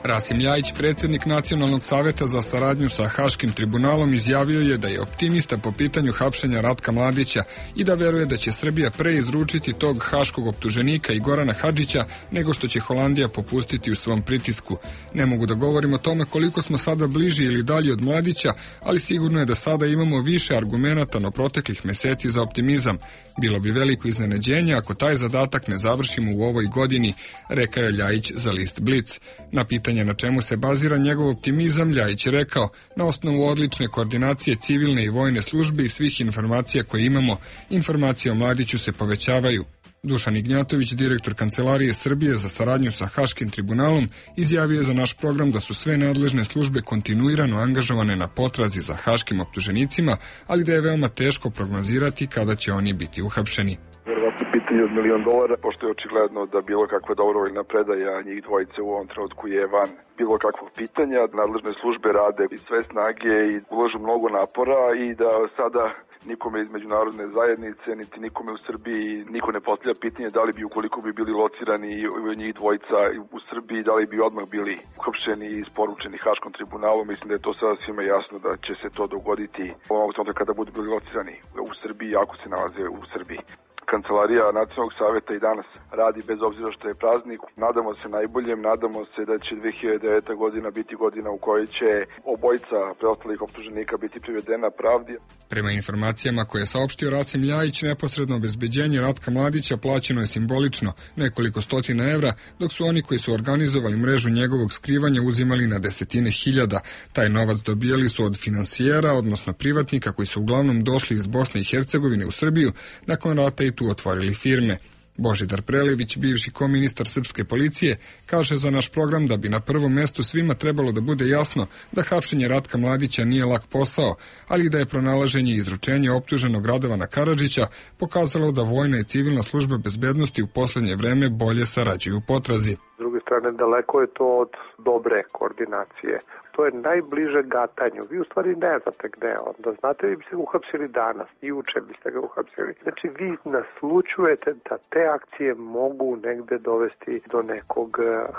Speaker 20: Rasim Ljajić, predsjednik Nacionalnog savjeta za saradnju sa Haškim tribunalom, izjavio je da je optimista po pitanju hapšenja Ratka Mladića i da veruje da će Srbija pre izručiti tog haškog optuženika i Gorana Hadžića nego što će Holandija popustiti u svom pritisku. Ne mogu da govorim o tome koliko smo sada bliži ili dalje od Mladića, ali sigurno je da sada imamo više argumenata no proteklih meseci za optimizam. Bilo bi veliko iznenađenje ako taj zadatak ne završimo u ovoj godini, rekao je Ljajić za list Blic. Na pitanje na čemu se bazira njegov optimizam, Ljajić je rekao: na osnovu odlične koordinacije civilne i vojne službe i svih informacija koje imamo, informacije o Mladiću se povećavaju. Dušan Ignjatović, direktor Kancelarije Srbije za saradnju sa Haškim tribunalom, izjavio je za naš program da su sve nadležne službe kontinuirano angažovane na potrazi za haškim optuženicima, ali da je veoma teško prognozirati kada će oni biti uhapšeni.
Speaker 21: Verovatno pitanje od $1.000.000, pošto je očigledno da bilo kakva dobrovoljna predaja njih dvojice u ovom trenutku je van bilo kakvog pitanja. Nadležne službe rade i sve snage i ulažu mnogo napora i da sada nikome iz međunarodne zajednice, niti nikome u Srbiji, niko ne postavlja pitanje da li bi, ukoliko bi bili locirani njih dvojica u Srbiji, da li bi odmah bili uhapšeni i isporučeni Haškom tribunalu. Mislim da je to sada svima jasno da će se to dogoditi ovog trenutka kada budu bili locirani u Srbiji, ako se nalaze u Srbiji. Kancelarija Nacionalnog savjeta i danas radi bez obzira što je praznik. Nadamo se najboljem, nadamo se da će 2009. godina biti godina u kojoj će obojica preostalih optuženika biti privedena pravdi.
Speaker 20: Prema informacijama koje je saopštio Rasim Ljajić, neposredno obezbeđenje Ratka Mladića plaćeno je simbolično, nekoliko stotina evra, dok su oni koji su organizovali mrežu njegovog skrivanja uzimali na desetine hiljada. Taj novac dobijali su od finansijera, odnosno privatnika koji su uglavnom došli iz Bosne i Hercegovine u Srbiju nakon rata i tu otvorili firme. Božidar Prelević, bivši koministar srpske policije, kaže za naš program da bi na prvom mjestu svima trebalo da bude jasno da hapšenje Ratka Mladića nije lak posao, ali da je pronalaženje i izručenje optuženog Radovana Karadžića pokazalo da vojna i civilna služba bezbednosti u posljednje vreme bolje sarađuju u potrazi.
Speaker 22: S druge strane, daleko je to od dobre koordinacije. To je najbliže gatanju. Vi u stvari ne znate gde je on. Da znate, vi biste ga uhapsili danas, juče biste ga uhapsili. Znači, vi naslučujete da te akcije mogu negde dovesti do nekog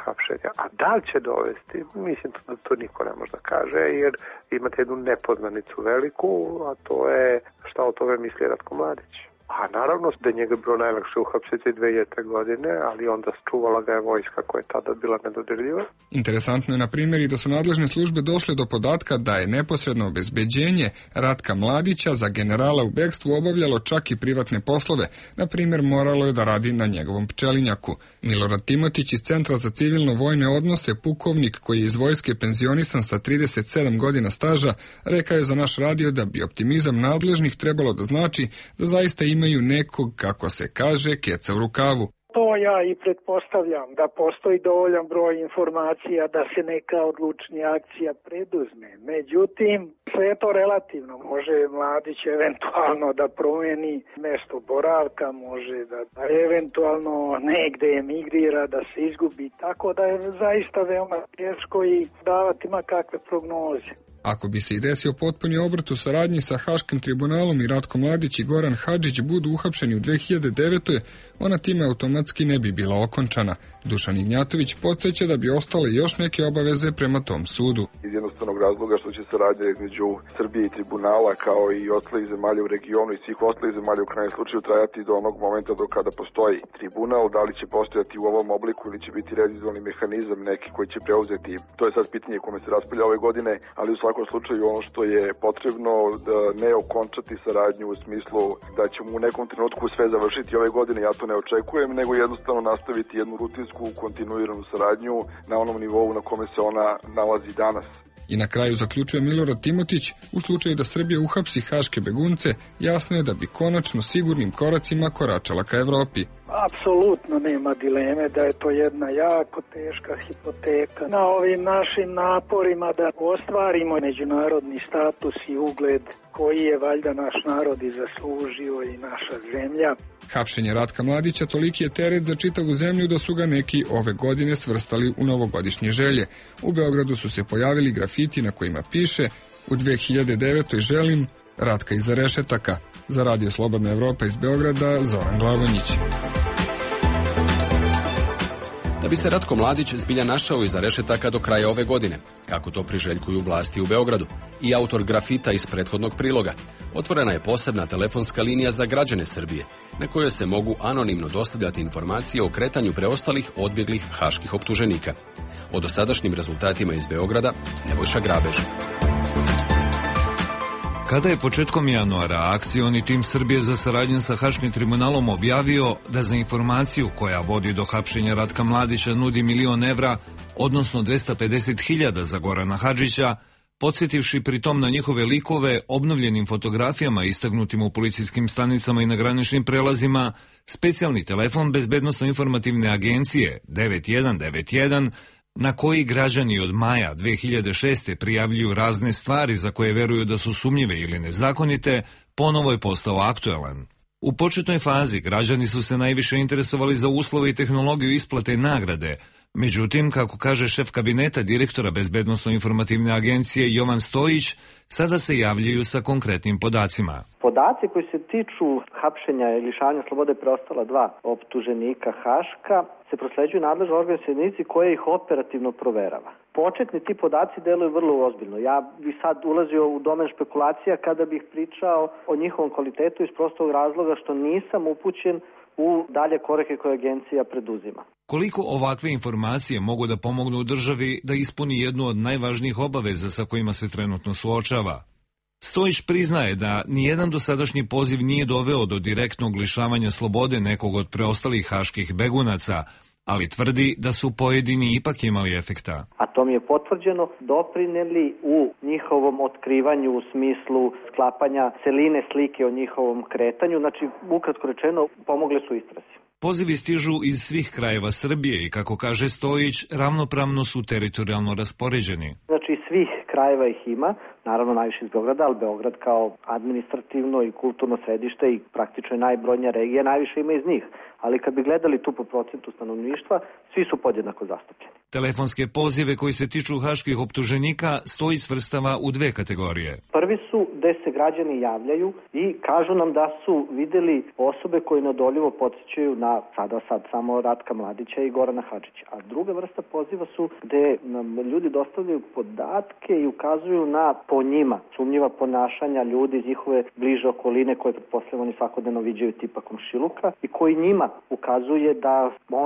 Speaker 22: hapšenja. A da li će dovesti? Mislim da to niko ne može da kaže, jer imate jednu nepoznanicu veliku, a to je šta o tome misli Ratko Mladić. A naravno da njega bilo najlakše uhapsiti 2000. godine, ali onda čuvala ga je vojska koja je tada bila nedodirljiva.
Speaker 20: Interesantno je na primjer i da su nadležne službe došle do podatka da je neposredno obezbeđenje Ratka Mladića za generala u bekstvu obavljalo čak i privatne poslove. Na primjer, moralo je da radi na njegovom pčelinjaku. Milorad Timotić iz Centra za civilno-vojne odnose, pukovnik koji je iz vojske penzionisan sa 37 godina staža, rekao je za naš radio da bi optimizam nadležnih trebalo da znači da zaista imaju nekog, kako se kaže, keca u rukavu.
Speaker 23: To ja i pretpostavljam, da postoji dovoljan broj informacija da se neka odlučnija akcija preduzme. Međutim, sve je to relativno. Može Mladić eventualno da promijeni mesto boravka, može da eventualno negde emigrira, da se izgubi. Tako da je zaista veoma teško i davati ma kakve prognoze.
Speaker 20: Ako bi se i desio potpuni obrt u saradnji sa Haškim tribunalom i Ratko Mladić i Goran Hadžić budu uhapšeni u 2009. ona time automatski ne bi bila okončana. Dušan Ignjatović podsjeća da bi ostale još neke obaveze prema tom sudu.
Speaker 21: Iz jednostavnog razloga što će saradnja između Srbije i tribunala kao i ostalih zemalja u regionu i svih ostalih zemalja u krajnjem slučaju trajati do onog momenta do kada postoji tribunal, da li će postojati u ovom obliku ili će biti revizovalni mehanizam neki koji će preuzeti. To je sad pitanje kome se raspravlja ove godine, ali u svakom slučaju ono što je potrebno da ne okončati saradnju u smislu da ćemo u nekom trenutku sve završiti ove godine, ja to ne očekujem, nego jednostavno nastaviti jednu rutinsku kontinuiranu saradnju na onom nivou na kome se ona nalazi danas.
Speaker 20: I na kraju zaključuje Milorad Timotić, u slučaju da Srbija uhapsi haške begunce, jasno je da bi konačno sigurnim koracima koračala ka Evropi.
Speaker 23: Apsolutno nema dileme da je to jedna jako teška hipoteka na ovim našim naporima da ostvarimo međunarodni status i ugled koji je valjda naš narod i zaslužio i naša zemlja.
Speaker 20: Hapšenje Ratka Mladića toliki je teret za čitavu zemlju da su ga neki ove godine svrstali u novogodišnje želje. U Beogradu su se pojavili grafiti na kojima piše: u 2009. želim Ratka iza rešetaka. Za Radio Slobodna Evropa iz Beograda, Zoran Glavonjić.
Speaker 7: Da bi se Ratko Mladić zbilja našao iza rešetaka do kraja ove godine, kako to priželjkuju vlasti u Beogradu, i autor grafita iz prethodnog priloga, otvorena je posebna telefonska linija za građane Srbije, na kojoj se mogu anonimno dostavljati informacije o kretanju preostalih odbjeglih haških optuženika. O dosadašnjim rezultatima iz Beograda, Nebojša Grabež.
Speaker 3: Kada je početkom januara akcioni tim Srbije za saradnju sa Haškim tribunalom objavio da za informaciju koja vodi do hapšenja Ratka Mladića nudi 1.000.000 evra, odnosno 250.000 za Gorana Hadžića, podsjetivši pritom na njihove likove obnovljenim fotografijama istaknutim u policijskim stanicama i na graničnim prelazima, specijalni telefon Bezbednosno-informativne agencije 9191, na koji građani od maja 2006. prijavljuju razne stvari za koje veruju da su sumnjive ili nezakonite, ponovo je postao aktuelan. U početnoj fazi građani su se najviše interesovali za uslove i tehnologiju isplate nagrade. Međutim, kako kaže šef kabineta direktora Bezbednosno-informativne agencije Jovan Stojić, sada se javljaju sa konkretnim podacima.
Speaker 4: Podaci koji se tiču hapšenja i lišavanja slobode preostala 2 optuženika Haška se prosleđuju nadležnoj organskoj jedinici koja ih operativno proverava. Početni ti podaci deluju vrlo ozbiljno. Ja bih sad ulazio u domen špekulacija kada bih pričao o njihovom kvalitetu iz prostog razloga što nisam upućen u dalje korake koje agencija preduzima.
Speaker 3: Koliko ovakve informacije mogu da pomognu državi da ispuni jednu od najvažnijih obaveza sa kojima se trenutno suočava? Stojić priznaje da nijedan dosadašnji poziv nije doveo do direktnog lišavanja slobode nekog od preostalih haških begunaca, ali tvrdi da su pojedini ipak imali efekta.
Speaker 4: A to mi je potvrđeno, doprineli u njihovom otkrivanju u smislu sklapanja celine slike o njihovom kretanju, znači ukratko rečeno pomogli su istrazi.
Speaker 3: Pozivi stižu iz svih krajeva Srbije i, kako kaže Stojić, ravnopravno su teritorijalno raspoređeni.
Speaker 4: Znači svih krajeva ih ima, naravno najviše iz Beograda, ali Beograd kao administrativno i kulturno središte i praktično najbrojnija regija, najviše ima iz njih. Ali kad bi gledali tu po procentu stanovništva, svi su podjednako zastupljeni.
Speaker 3: Telefonske pozive koji se tiču haških optuženika Stojić svrstava u 2 kategorije.
Speaker 4: Prvi su gde se građani javljaju i kažu nam da su videli osobe koje neodoljivo podsjećaju na sad samo Ratka Mladića i Gorana Hadžića. A druga vrsta poziva su gde nam ljudi dostavljaju podatke i ukazuju na po njima sumnjiva ponašanja ljudi iz njihove bliže okoline koje pretpostavljamo oni svakodnevno viđaju tipa komšiluka i koji njima ukazuje da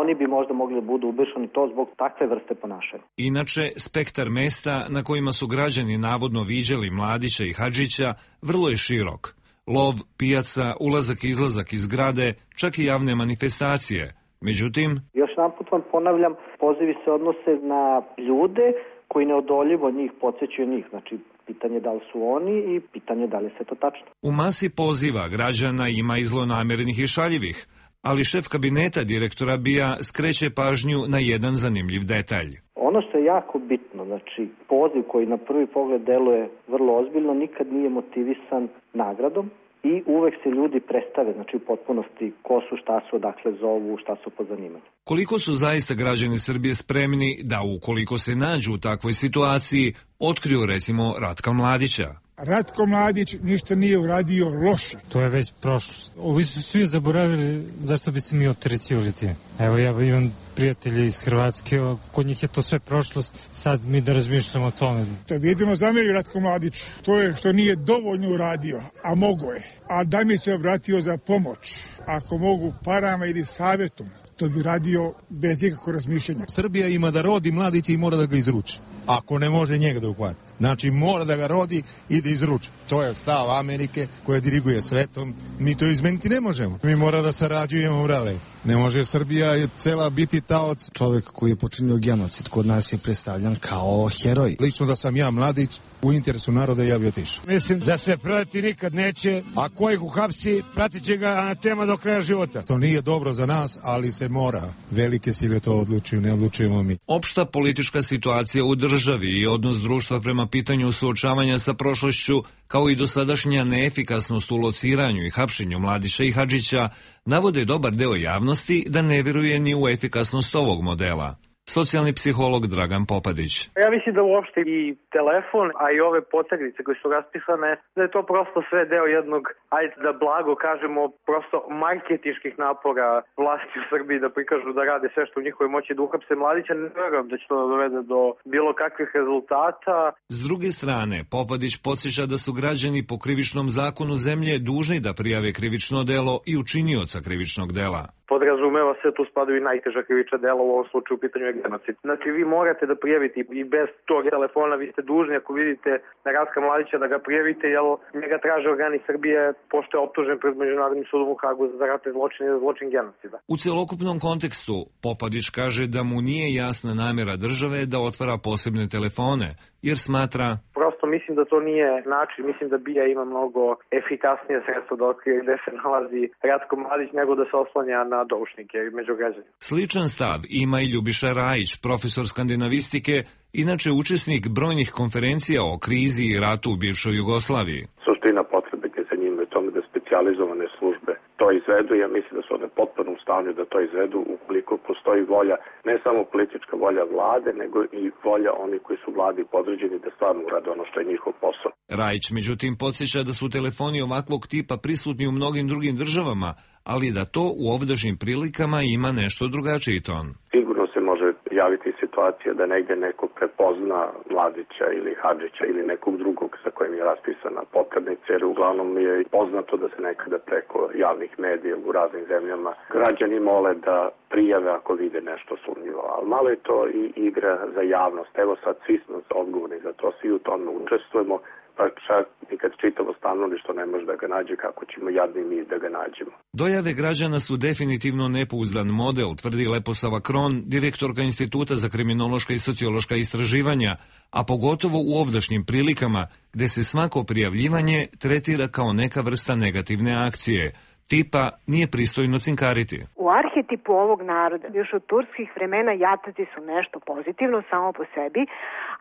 Speaker 4: oni bi možda mogli da budu ubešani to zbog takve vrste ponašanja.
Speaker 3: Inače, spektar mesta na kojima su građani navodno viđali Mladića i Hadžića vrlo je širok. Lov, pijaca, ulazak i izlazak iz zgrade, čak i javne manifestacije. Međutim,
Speaker 4: još jedanput vam ponavljam, pozivi se odnose na ljude koji neodoljivo njih podsjećaju njih, znači pitanje da li su oni i pitanje da li se to tačno.
Speaker 3: U masi poziva građana ima i zlonamernih i šaljivih, ali šef kabineta direktora BIA skreće pažnju na jedan zanimljiv detalj.
Speaker 4: Ono što je jako bitno, znači poziv koji na prvi pogled deluje vrlo ozbiljno, nikad nije motivisan nagradom i uvek se ljudi predstave, znači u potpunosti ko su, šta su, odakle zovu, šta su po zanimanju.
Speaker 3: Koliko su zaista građani Srbije spremni da, ukoliko se nađu u takvoj situaciji, otkriju recimo Ratka Mladića?
Speaker 6: Ratko Mladić ništa nije uradio loše.
Speaker 24: To je već prošlost. Ovi su svi zaboravili zašto bi se mi opterećivali tim. Evo ja imam prijatelje iz Hrvatske, kod njih je to sve prošlost, sad mi da razmišljamo o tome.
Speaker 6: To jedino zameri Ratko Mladić, to je što nije dovoljno uradio, a mogo je. A da mi se obratio za pomoć, ako mogu parama ili savjetom, to bi radio bez ikakvog razmišljanja.
Speaker 25: Srbija ima da rodi Mladića i mora da ga izruči. Ako ne može njega da uhvati. Znači mora da ga rodi i da izruči. To je stav Amerike koja diriguje svetom. Mi to izmeniti ne možemo. Mi mora da sarađujemo, brale. Ne može Srbija je cela biti taoc.
Speaker 1: Čovjek koji je počinio genocid kod nas je predstavljan kao heroj.
Speaker 25: Lično da sam ja Mladić, u interesu naroda ja bi otišao.
Speaker 2: Mislim da se prodati nikad neće, a ko ih uhapsi, pratit će ga na tema do kraja života.
Speaker 25: To nije dobro za nas, ali se mora. Velike sile to odlučuju, ne odlučujemo mi.
Speaker 3: Opšta politička situacija u državi i odnos društva prema pitanju suočavanja sa prošlošću, kao i dosadašnja neefikasnost u lociranju i hapšenju Mladića i Hadžića, navode dobar deo javnosti da ne vjeruje ni u efikasnost ovog modela. Socijalni psiholog Dragan Popadić.
Speaker 8: Ja mislim da uopšte i telefon, a i ove potegnice koje su raspisane, da je to prosto sve deo jednog, ajde da blago kažemo, prosto marketičkih napora vlasti u Srbiji da prikažu da rade sve što u njihovoj moći da uhapse Mladića. Ne verujem da će to dovede do bilo kakvih rezultata.
Speaker 3: S druge strane, Popadić podsjeća da su građani po krivičnom zakonu zemlje dužni da prijave krivično delo i učinioca krivičnog dela.
Speaker 8: Podrazumeva se, tu spadaju i najteža krivična dela, u ovom slučaju u pitanju je genocid. Znači vi morate da prijavite i bez tog telefona, vi ste dužni ako vidite Ratka Mladića da ga prijavite, jer njega traže organi Srbije pošto je optužen pred Međunarodnim sudom u Hagu za ratne zločine i za zločin genocida.
Speaker 3: U celokupnom kontekstu Popadić kaže da mu nije jasna namjera države da otvara posebne telefone, jer smatra...
Speaker 8: Prosto mislim da to nije način, mislim da BIA ima mnogo efikasnije sredstvo da otkrije gde se nalazi Ratko Mladić nego da se oslanja na doušnike među građanima.
Speaker 3: Sličan stav ima i Ljubiša Rajić, profesor skandinavistike, inače učesnik brojnih konferencija o krizi i ratu u bivšoj Jugoslaviji.
Speaker 11: Suština potrebe za njima je tome da specijalizovane službe to izvedu. Ja mislim da su one potpuno u stanju da to izvedu ukoliko postoji volja, ne samo politička volja vlade, nego i volja onih koji su vladi podređeni da stvarno urade ono što je njihov posao.
Speaker 3: Rajić međutim podsjeća da su telefoni ovakvog tipa prisutni u mnogim drugim državama, ali da to u ovdašnjim prilikama ima nešto drugačiji ton.
Speaker 11: Sigurno se može javiti situacija da negdje neko prepozna Mladića ili Hadžića ili nekog drugog sa kojim je raspisana poternica, jer uglavnom je poznato da se nekada preko javnih medija u raznim zemljama građani mole da prijave ako vide nešto sumnjivo. Ali malo je to i igra za javnost. Evo sad svi smo odgovorni za to, svi u tome učestvujemo, pa čak i kad čitavo stanovništvo ne može da ga nađe, kako ćemo jadni mi da ga nađemo.
Speaker 3: Dojave građana su definitivno nepouzdan model, tvrdi Leposava Kron, direktorka Instituta za kriminološka i sociološka istraživanja, a pogotovo u ovdašnjim prilikama, gde se svako prijavljivanje tretira kao neka vrsta negativne akcije, tipa nije pristojno cinkariti.
Speaker 12: U arhetipu ovog naroda, još od turskih vremena, jataci su nešto pozitivno samo po sebi,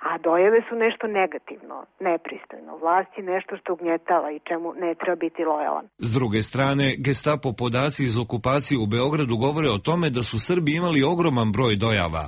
Speaker 12: a dojave su nešto negativno, nepristojno. Vlast je nešto što ugnjetava i čemu ne treba biti lojalan.
Speaker 3: S druge strane, Gestapo podaci iz okupacije u Beogradu govore o tome da su Srbi imali ogroman broj dojava,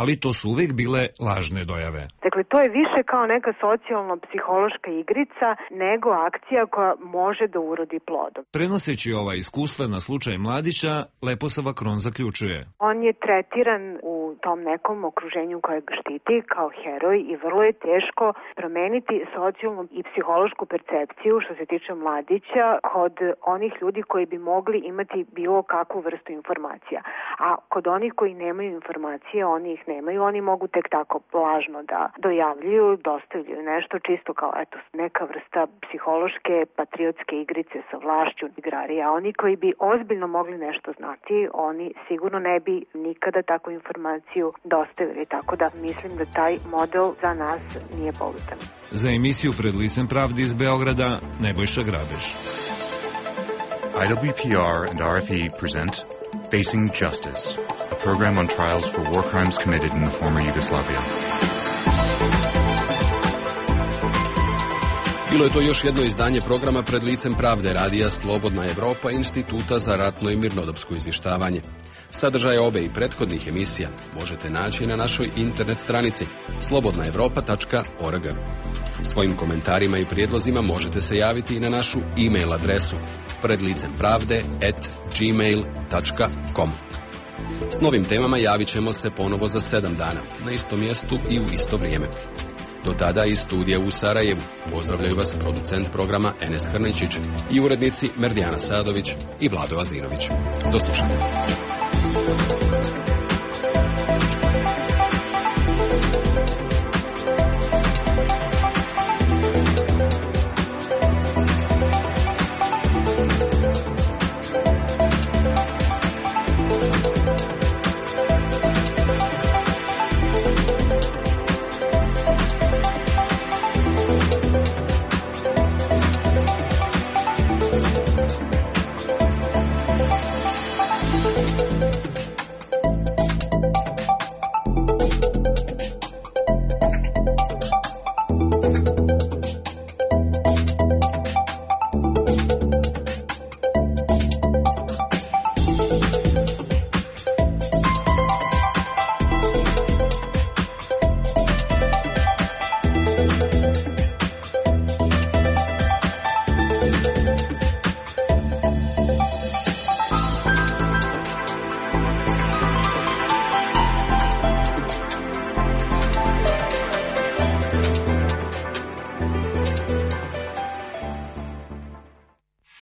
Speaker 3: ali to su uvek bile lažne dojave.
Speaker 12: Dakle, to je više kao neka socijalno-psihološka igrica nego akcija koja može da urodi plodom.
Speaker 3: Prenoseći ova iskustva na slučaj Mladića, Leposava Kron zaključuje.
Speaker 12: On je tretiran u tom nekom okruženju koje ga štiti kao heroj i vrlo je teško promeniti socijalnu i psihološku percepciju što se tiče Mladića kod onih ljudi koji bi mogli imati bilo kakvu vrstu informacija. A kod onih koji nemaju informacije, oni ih nemaju, oni mogu tek tako lažno da dojavljuju, dostavljaju nešto čisto kao neka vrsta psihološke, patriotske igrice sa vlašću igrarija. Oni koji bi ozbiljno mogli nešto znati, oni sigurno ne bi nikada takvu informaciju dostavili, tako da mislim da taj model za nas nije pouzdan.
Speaker 3: Za emisiju Pred licem pravde iz Beograda, Nebojša Grabež.
Speaker 16: IWPR and RFE present Facing Justice, a program on trials for war crimes committed in the former Yugoslavia.
Speaker 7: Bilo je to još jedno izdanje programa Pred licem pravde radija Slobodna Evropa Instituta za ratno i mirnodopsko izvještavanje. Sadržaje ove i prethodnih emisija možete naći na našoj internet stranici slobodnaevropa.org. Svojim komentarima i prijedlozima možete se javiti i na našu e-mail adresu predlicempravde@gmail.com. S novim temama javit ćemo se ponovo za 7 dana, na istom mjestu i u isto vrijeme. Do tada iz studija u Sarajevu pozdravljaju vas producent programa Enes Hrničić i urednici Merdijana Sadović i Vlado Azinović. Do slušanja.